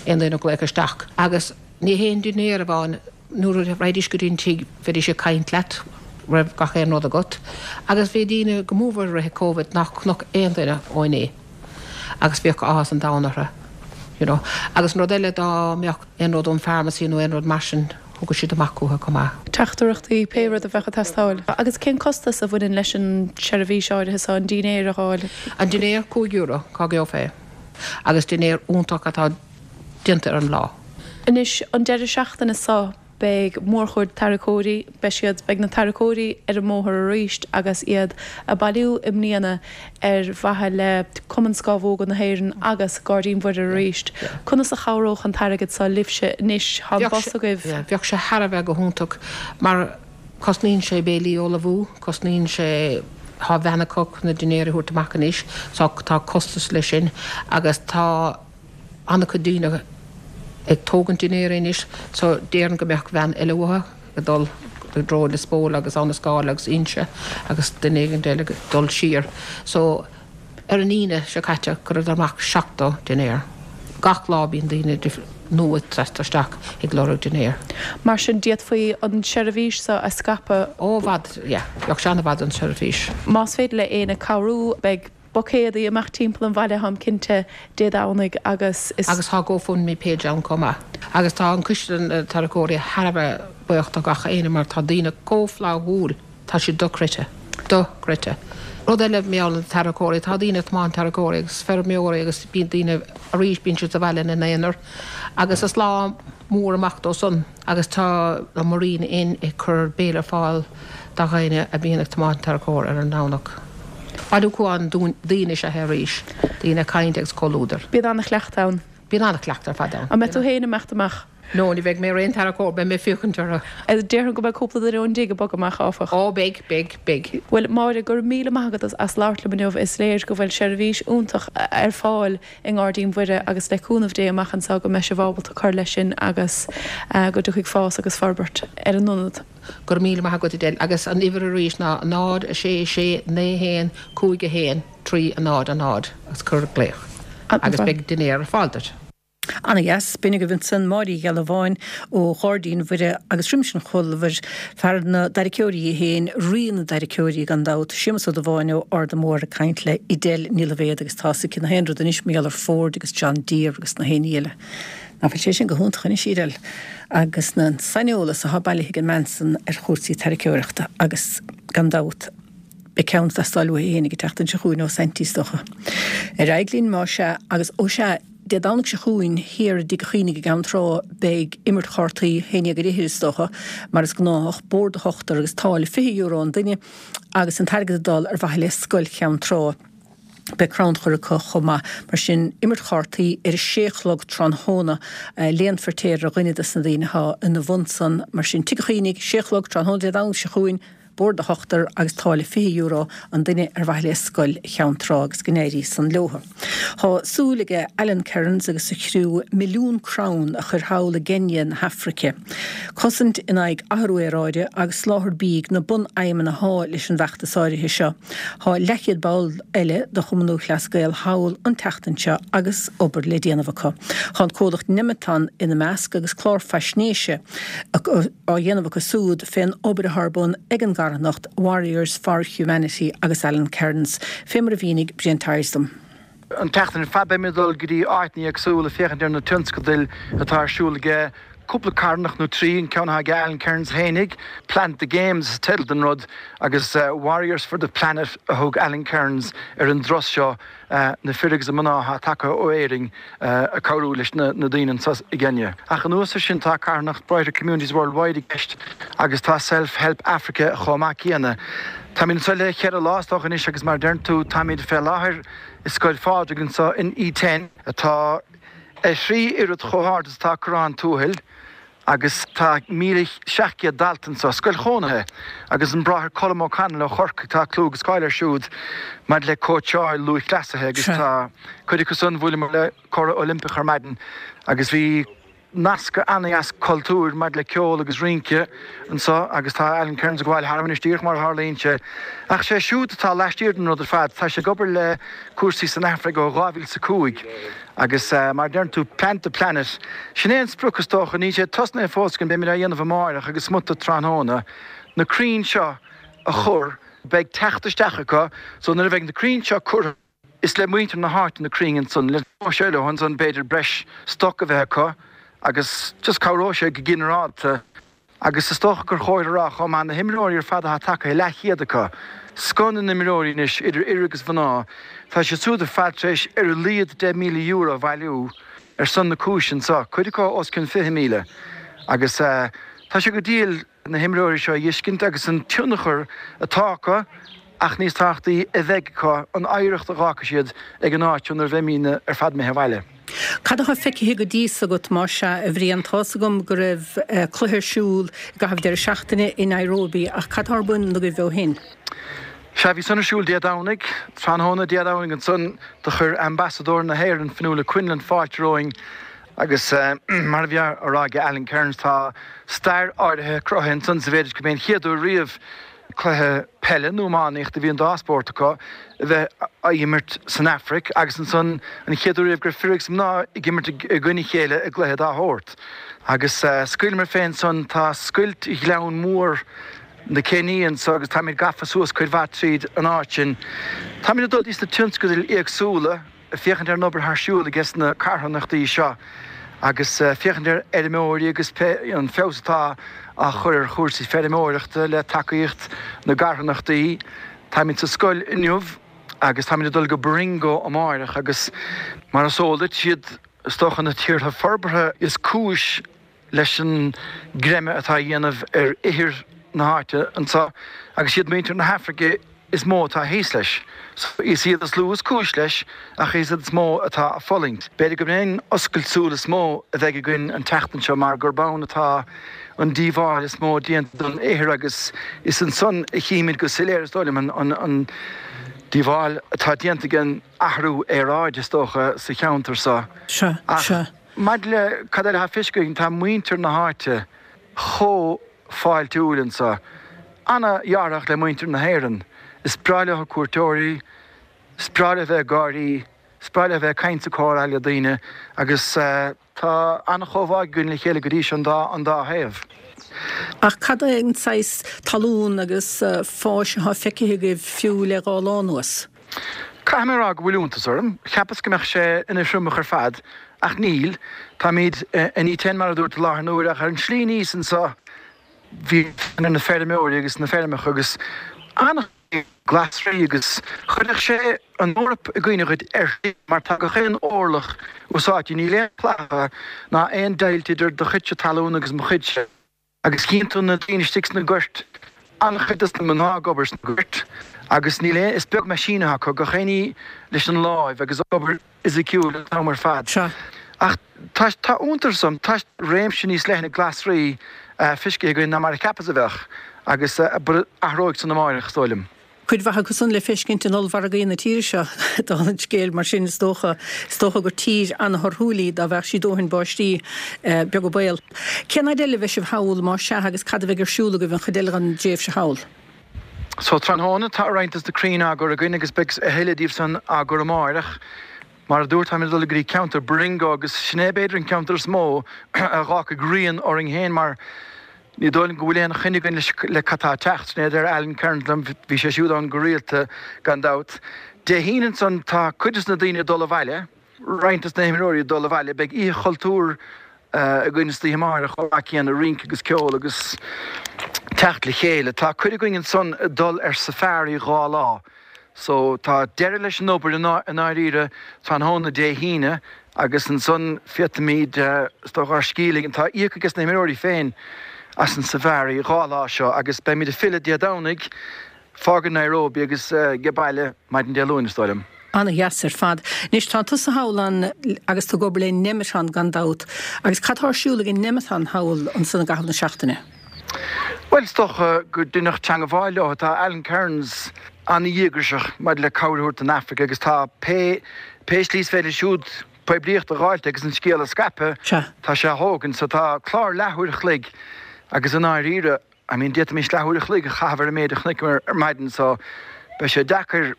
aon duine ag glaoch isteach. Agus ní haon dinnéar amháin, nuair a raghaidís go dtí an tigh bheidís ag caint leat raibh gach aon rud agat. Agus bhí daoine go mór i rith Covid nach chonac aon duine ó inné agus bhíodh áthas an domhain orthu you know. Agus an rud eile dá mbeadh aon rud ón pharmacy nó aon rud mar sin thugadh siad amach chucu chomh maith. Teachtaireachtaí, pé rud a bheadh ag teastáil. Agus cén costas a bhaineann leis an tseirbhís áirithe seo, an dinnéar a fháil? An dinnéar cúig euro, cá gheofá é. Agus dinnéar iontach atá déanta ar an lá. Anois, an deireadh seachtaine seo, beidh mórchuaird tarracóirí, beidh siad, beidh na tarracóirí ar an mbóthar arís agus iad ag bailiú i mbliana ar mhaithe le Cumann Scámhóga na hÉireann agus Gairdín Mhuire arís. Conas a chabhródh an t-airgead seo libhse anois? Tá an bus agaibh. Bheadh sé thar a bheith go hiontach mar cosnaíonn sé béilí a ullmhú, cosnaíonn sé, tá veain acu chun na dinnéir a thabhairt amach anois so tá costas leis sin agus tá an-chuid daoine ag tógaint dinnéir anois so déarfainn go mbeadh veain eile uathu ag dul i dtreo Lios Póil agus Abha na Scáil agus Inse agus duine éigin eile ag dul siar. So ar an Aoine seo caite chuireadar amach seachtó dinnéar. Gach lá bíonn daoine nua ag teacht isteach ag lorg dinnéir. Mar sin d'fhéadfaí an tseirbhís seo a scaipeadh. Ó i bhfad, yeah. Bheadh sé an-mhaith don tseirbhís. Más féidir le éinne cabhrú beidh buicéadaí amach timpeall an bhaile, táim cinnte, Dé Domhnaigh agus is. Agus tá GoFundMe page ann chomh maith. Agus tá an coiste tarracóirí thar a bheith buíoch do gach éinne mar tá daoine chomh flaithiúil, tá siad dochreidte. Dochreidte. Rud eile mar gheall ar na tarracóirí, tá daoine ag tiomáint tarracóirí agus feirmeoirí agus bíonn daoine arís bíonn siad sa bhaile ina n-aonar agus is lá mór amach dó san agus tá an Marina Inn ag cur béile ar fáil do dhaoine a bhíonn ag tiomáint tarracóir ar an Domhnach. Bailiúchán daoine is ea é arís, daoine ag caint agus comhluadar. Bíonn an-chleachtadh ann. Bíonn an-chleachtadh ar fad ann. An mbeidh tú féin ag imeacht amach? No, ní bheidh mé ar aon tarracóir, beidh mé ag féachaint orthu. Déarfainn go mbeidh cúpla duine ón dtigh ag bogadh amach, áfach. Ó, beidh, beidh, beidh. Bhuel, Máire, go raibh míle maith agat as labhairt liom inniu. Is léir go bhfuil seirbhís iontach ar fáil i nGairdín Mhuire agus le cúnamh Dé amach anseo go mbeidh sibh ábalta cur leis sin agus go dtiocfaidh fás agus forbairt ar an ionad. Go raibh míle maith agat Edel agus an uimhir arís ná náid, a sé, sé, naoi, haon, cúig, a haon, trí, a náid, a náid agus cuir glaoch agus beidh dinnéar ar fáil duit. Ana dheas. B'in agaibh ansan Máire Uí Ghealbháin ó Ghairdín Mhuire agus roimis an chomhluadar, fear na dtarraiceoirí é féin, rí na dtarraiceoirí gan dabht, Séamus Ó Dubháin ó Arda Mór ag caint le Edel Ní Loibhéad agus tá 'fhios aici na haon rud anois mar gheall ar Ford agus John Deere agus na haon ní eile. Nach bhfuil sé sin go hiontach anois, Edel? Agus an saineolas atá bailithe ag an mbean san ar chúrsaí tarraiceoireachta agus gan dabht beidh ceann ag teastáil uaithi fhéinig an tseachtain seo chugainn ó Saintí is dócha. Ar aghaidh linn más ea agus ó sea, Dé Domhnaigh seo chugainn thiar i dTigh an Chaonaigh i gCeann Trá beidh imirt chártaí, haon déag ar fhichid is dócha, mar is gnách, bord do ochtar agus táille fiche euro an duine agus an t-airgead ag dul ar mhaithe le Scoil Cheann Trá. Beidh crannchur acu chomh maith. Mar sin, imirt chártaí ar a sé a chlog tráthnóna. Léan Feirtéar ar dhuine des na daoine atá ina bhun san. Mar sin, Tigh an Chaonaigh, sé a chlog tráthnóna Dé Domhnaigh seo chugainn, bord do hochtar agus táille fiche euro an duine ar mhaithe le Scoil Cheann Trá agus go n-éirí san leotha. Tá súil aige Alan Kerins agus a chriú milliún crann a chur thall i gCéinia na hAfraice. Cosaint in aghaidh athrú aeráide agus soláthar bídh na bunaidhmeanna athá leis an bhfeachtas áirithe seo. Tá leathchéad ball eile de Chumann Lúthchleas Gael thall an tseachtain seo agus obair le déanamh acu. Tá an comhlacht Nemeton ina measc agus clár faisnéise á dhéanamh acu súd fén obair athá ar bun ag an gcarthanacht Warriors for Humanity agus Alan Kerins, fé mar a mhínigh Brian Tyers dom. An tseachtain ar fad beimid ag dul go dtí áiteanna éagsúla féachaint ar na tionscadail atá ar siúl aige cúpla carthanacht nó trí, an ceann atá ag Alan Kerins fhéinig, Plant the Games is teideal don rud agus Warriors for the Planet a thug Alan Kerins ar an dturas seo, na fir agus na mná atá tagtha ó Éirinn ag cabhrú leis na daoine anseo i gCéinia. Ach anuas ar sin tá carthanacht Brighter Communities Worldwide i gceist agus tá Self Help Africa chomh maith céanna. Táimid anseo le ceithre lá is dócha anois agus mar a deireann tú táimid fé láthair i Scoil Phádraig anseo in Iten atá a thrí oiread chomh hard is atá Corrán Tuathail agus tá míle seacht gcéad dalta anseo, scoil chónaithe, agus an Bráthair Colm O'Connell ó Chorcaigh, tá clú agus cáil air siúd maidir le cóitseáil lúthchleasaithe agus tá cuid acu san, bhuaileamar le curadh Oilimpeach ar maidin agus bhí nascadh an-dheas cultúir maidir le ceol agus rince anseo agus tá Alan Kerins ag gabháil tharam anois díreach mar a tharlaíonn sé. Ach sé siúd atá laistiar den rud ar fad, tá sé ag obair le cúrsaí san Afraic ó dhá mhíle is a cúig agus mar a deireann tú Plant the Planet, sin é an sprioc is dócha, níl sé tosnaithe fós againn, beimid á dhéanamh amáireach agus smut tráthnóna, na crainn seo a chur, beidh teacht isteach acu so nuair a bheidh na crainn seo curtha, Is le muintir na háite na crainn ansan, le sé leo ansan b'fhéidir breis stoc a bheith acu agus just cabhróidh sé go ginearálta agus is dócha gur chóir a rá chomh maith na himreoirí ar fad atá tagtha, leathchéad acu, scoth na n-imreoirí anois idir fhir agus mhná, tá siad siúd ar fad tar éis ar a laghad deich míle euro a bhailiú ar son na cúise anso, cuid acu os cionn fiche míle agus tá sé go diail na himreoirí seo a fheiscint agus an tionchar atá acu ach níos tábhachtaí, a bheidh acu, an oidhreacht a dh'fhágfaidh siad ag an áit seo nuair a bheimídne ar fad imithe abhaile. Cad atá feicthe go dtí so agat, más ea, a Bhriain? Tá's agam go raibh cluiche ar siúl i gcaitheamh deireadh seachtaine i Nairobi, ach cad atá ar bun agaibh ó shin? Sea, bhí san ar siúl Dé Domhnaigh, tráthnóna Dé Domhnaigh ansan, do chuir Ambasadóir na hÉireann, Fionnuala Quinlan, fáilte romhainn agus mar a bhí á rá ag Alan Kerins, tá stair áirithe cruthaithe ansan sa mhéid is gurb é an chéad uair riamh cluiche peile nó iománaíochta, bhí an dá spórt acu, a bheith á imirt san Afraic agus ansan an chéad uair riamh go raibh fir agus mná ag imirt i gcoinne a chéile i gcluiche dá shórt. Agus scaoileamar fé ansan, tá scoilt ghleann mór na Céinia anso agus táimid gafa suas cuid mhaith tríd an áit sin. Táimid ag dul dtí sna tionscadail éagsúla. féachaint ar an obair thar siúl ages na carthanachtaí seo agus féachaint ar fheirmeoirí agus an feabhas atá á chur ar chúrsaí feirmeoireachta le tacaíocht na gcarthanachtaí. Táimid sa scoil inniu agus táimid ag dul go Baringo amáireach agus mar is eol duit, siad is dócha na tíortha forbartha is cúis leis an gcreimeadh atá á dhéanamh ar ithir na háite anseo agus siad muintir na hAfraice is mó atá thíos leis. So, is iad is lú is cúis leis ach is iad is mó atá ag fulaingt. B'fhéidir gurb é an oscailt súl is mó a bheidh againn an tseachtain seo mar gurb ann atá an díobháil is mó déanta don ithir agus is ansan a chímid go soiléir, is dóigh liom, an díobháil atá déanta ag an athrú aeráide, is dócha, sa cheantar seo. Ach maidir le cad eile atá feiscithe againn, tá muintir na háite chomh fáiltiúil anso. Ana-dhearfach le muintir na hÉireann. Is breá leo cuairteoirí, is breá leo a bheith ag gáirí, is breá leo a bheith ag caint is ag comhrá le daoine agus tá an-chomhbhá againn le chéile go dtí seo an dá an dá thaobh. Ach cad é an saghas talún agus fáis atá feicthe agaibh fiú le dhá lá anuas? Caithfidh mé a rá go bhfuil iontas orm. Cheapas go mbeadh sé ina thriomach ar fad ach níl. Táimid in Iten mar a dúirt i láthair na huaire ach ar an tslí aníos anseo bhí ar na feirmeoirí agus na feirmeacha agus an-chuid glasraí agus chuirfeadh sé an Eoraip i gcuimhne dhuit ar shlí mar tá gach aon orlach úsáidte, níl aon chlaitheacha ná aon deighilt idir do chuidse talún agus mo chuidse agus chíonn tú na daoine istigh sna goirt, an-chuid dos na mná ag obair sna goirt agus níl aon, is beag meaisín atá acu, gach aon ní leis an láimh agus obair fhisiciúil an t-am ar fad. Sea. Ach tá, tá iontas orm, tá réimse níos leithne glasraí feiscithe againn ná mar a cheapas a bheadh agus athróidh san amárach, is dóigh liom. Cuid mhaith acu san le feiscint in ollmhargaí na tíre seo, dála an scéil, mar sin is dócha, is dócha gur tír an-thorthúil í dá mbeadh sí dóthain báistí, beag an baol. Cén fhaid eile a bheidh sibh thall, más ea, agus cad a bheidh ar siúl agaibh an chuid eile den dtréimhse thall? So, tráthnóna, tá roinnt de na crainn á gcur againn agus beidh a thuilleadh díobh san á gcur amáireach. Mar a dúrt, táimid ag dul go dtí ceantar Baringo agus sin é b'fhéidir an ceantar is mó a dh'fhágfaidh rian orainn féin mar ní dóigh liom go bhfuil aon choinne againn leis le cad tá ag teacht. Sin é a deir Alan Kearns liom, bhí sé siúd ann go rialta gan dabht. Dé hAoine ansan tá cuid des na daoine ag dul abhaile, roinnt des na himreoirí ag dul abhaile, beidh oíche chultúir againn istoíche amáireach chomh maith céanna, rince agus ceol agus teacht le chéile. Tá cuid againn ansan ag dul ar safari dhá lá. So, tá deireadh leis an obair i ndáiríre tráthnóna Dé hAoine agus ansan féadfaimid, is dócha, ár scíth a ligean. Tá íoctha ages na himreoirí féin as an safari dhá lá seo agus beimid ag filleadh Dé Domhnaigh, fágaint Nairobi agus age baile maidin Dé Luain, is dóigh liom. Ana-dheas ar fad. Anois, tá tusa thall ann agus tú ag obair le Nemeton gan dabht. Agus cad tá ar siúl ag an Nemeton thall ansan i gcaitheamh na seachtaine? Bhuel, is dócha go deineadh teangabháil leo. Tá Alan Kearns an-dhíograiseach maidir le cabhair a thabhairt don Afraic agus tá pé pé slí is féidir siúd poiblíocht a dh'fháilt agus an scéal a scaipeadh, tá sé á thógaint. So tá clár leathuair a chloig agus i ndáiríre, I mean, d'fhéadfaimis leathuair a chloig a chaitheamh ar an méid a chonaiceamar ar maidin so beidh sé deacair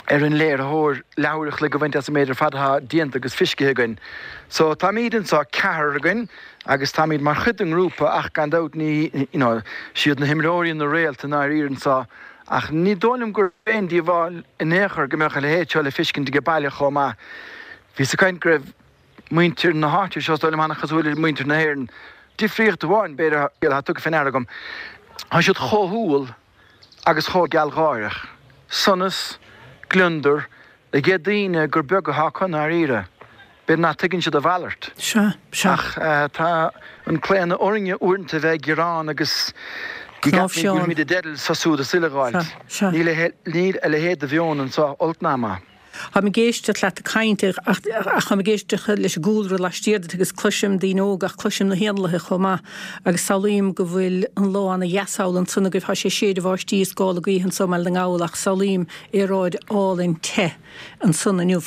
ar an léiritheoir leathuair a chloig a bhaint as an méid ar fad atá déanta agus feiscithe againn. So táimid anseo, ceathrar againn, agus táimid mar chuid den ngrúpa ach gan dabht ní, you know, siad na himreoirí na réalta i ndáiríre anseo ach ní dóigh liom gurb aon díobháil in aon chor go mbeadh a leithéid seo le feiscint age baile chomh maith. Bhíos ag caint go raibh muintir na háite seo, is dóigh liom, an-chosúil le muintir na hÉireann. Difríocht amháin, b'fhéidir, atá tugtha fé ndeara agam, tá siad chomh humhal agus chomh gealgháireach. Sonas, gliondar, age daoine gur beag atá acu i ndáiríre. B'fhéidir nach dtuigeann siad a mhalairt. Sea, sea. Ach tá an claonadh orainne uaireanta a bheith ag gearán agus go gceapaimid go bhfuilimid i dteideal seo súd is uile a dh'fháilt. Sea, sea. Níl a leithéid de mheon anseo, olc ná maith. Táim ag éisteacht leat ag caint ach táim ag éisteacht leis an gcúlra laistiar duit agus cloisim daoine óga ach cloisim na héanlaithe chomh maith agus samhlaím go bhfuil an lá ana dheas thall ansan agaibh. Tá sé ag séideadh báistí is gála gaoithe anso i mBaile na nGall ach samhlaím aeráid álainn te ansan inniu.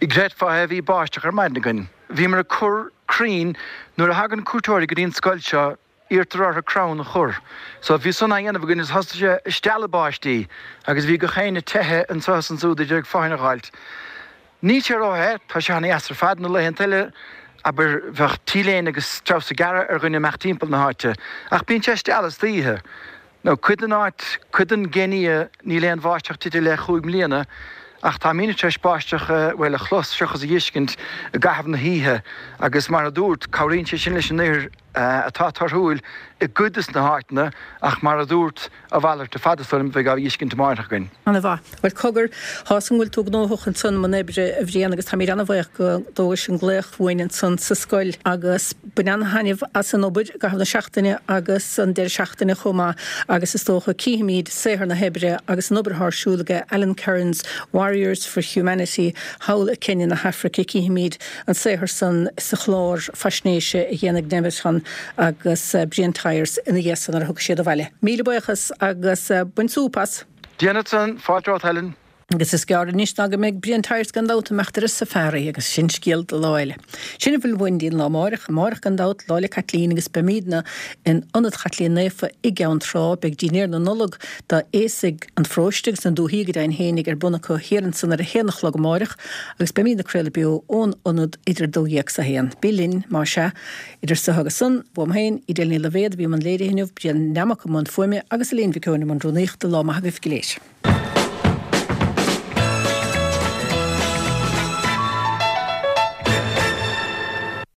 Chreidfeá é, bhí báisteach ar maidin againn. Bhíomar ag cur crainn nuair a thagann cuairteoirí go dtí an scoil seo, Iarrtar orthu crann a chur. So bhí san á dhéanamh againn agus thosaigh sé ag stealladh báistí agus bhí gach éinne teichthe anseo is ansúd ag iarraidh fothain a dh'fháilt. Níl sé ró-the, tá sé ana-dheas ar fad. Na laethanta eile, abair, bheadh T-léine agus treabhsa gearra ar dhuine imeacht timpeall na háite. Ach bíonn sé ag stealladh istoíche. Now cuid den áit, cuid den gCéinia, níl aon bháisteach tite le chúig mbliana ach táimídne tar éis báisteach, bhuel, a chlos seachas a dh'fheiscint i gcaitheamh na hoíche agus mar a dúrt, cabhraíonn sé sin leis an ithir atá torthúil i gcuid des na háiteanna ach mar a dúrt, a mhalairt ar fad is dóigh liom a bheidh á dh'fheiscint amáireach againn. Ana-mhaith. Bhuel, cogar, tá 'fhios a'm go bhfuil tú gnóthach ansan i mbun oibre, a Bhriain, agus táimid ana-bhaoch go dtógais an glaoch uainn ansan sa scoil agus bain ana-thaitneamh as an obair i gcaitheamh na seachtaine agus an deireadh seachtaine chomh maith agus is dócha cífimid saothar na hoibre agus an obair atá ar siúl aige Alan Kearns, Warriors for Humanity thall i Kenya na hAfraice, cífimid an saothar san sa chlár faisnéise a dhéanfaidh Nemeton agus Brian Tyers ina dhiaidh san nuair a thiocfaidh siad abhaile. Míle buíochas agus bain súp as! Déanfad san, fáilte romhat Helen. Agus is gearr anois ná go mbeidh Brian Tyers gan dabht ag imeacht ar an safari agus sin scéal do lá eile. Sin a bhfuil uainn dtí'n lá amáireach. Amáireach gan dabht, Lá 'le Caitlín agus beimídne in Ionad Chaitlín Naofa i gCeann Trá. Beidh dinnéar na Nollag d'aosaigh an pharóiste agus na dúthaí go deimhin fhéinig ar bun acu thiar ansan ar a haon a chlog amáireach agus beimídne ag craoladh beo ón Ionad idir dó dhéag 's a haon. Bí linn, má sea. Idir so agus san, uaim féin, Edel Ní Loibhéad a bhí i mbun léirithe inniu, Brian Nammock i mbun fuaime agus Elaine Mhic Eoin i mbun rúnaíochta. Lá maith agaibh go léir.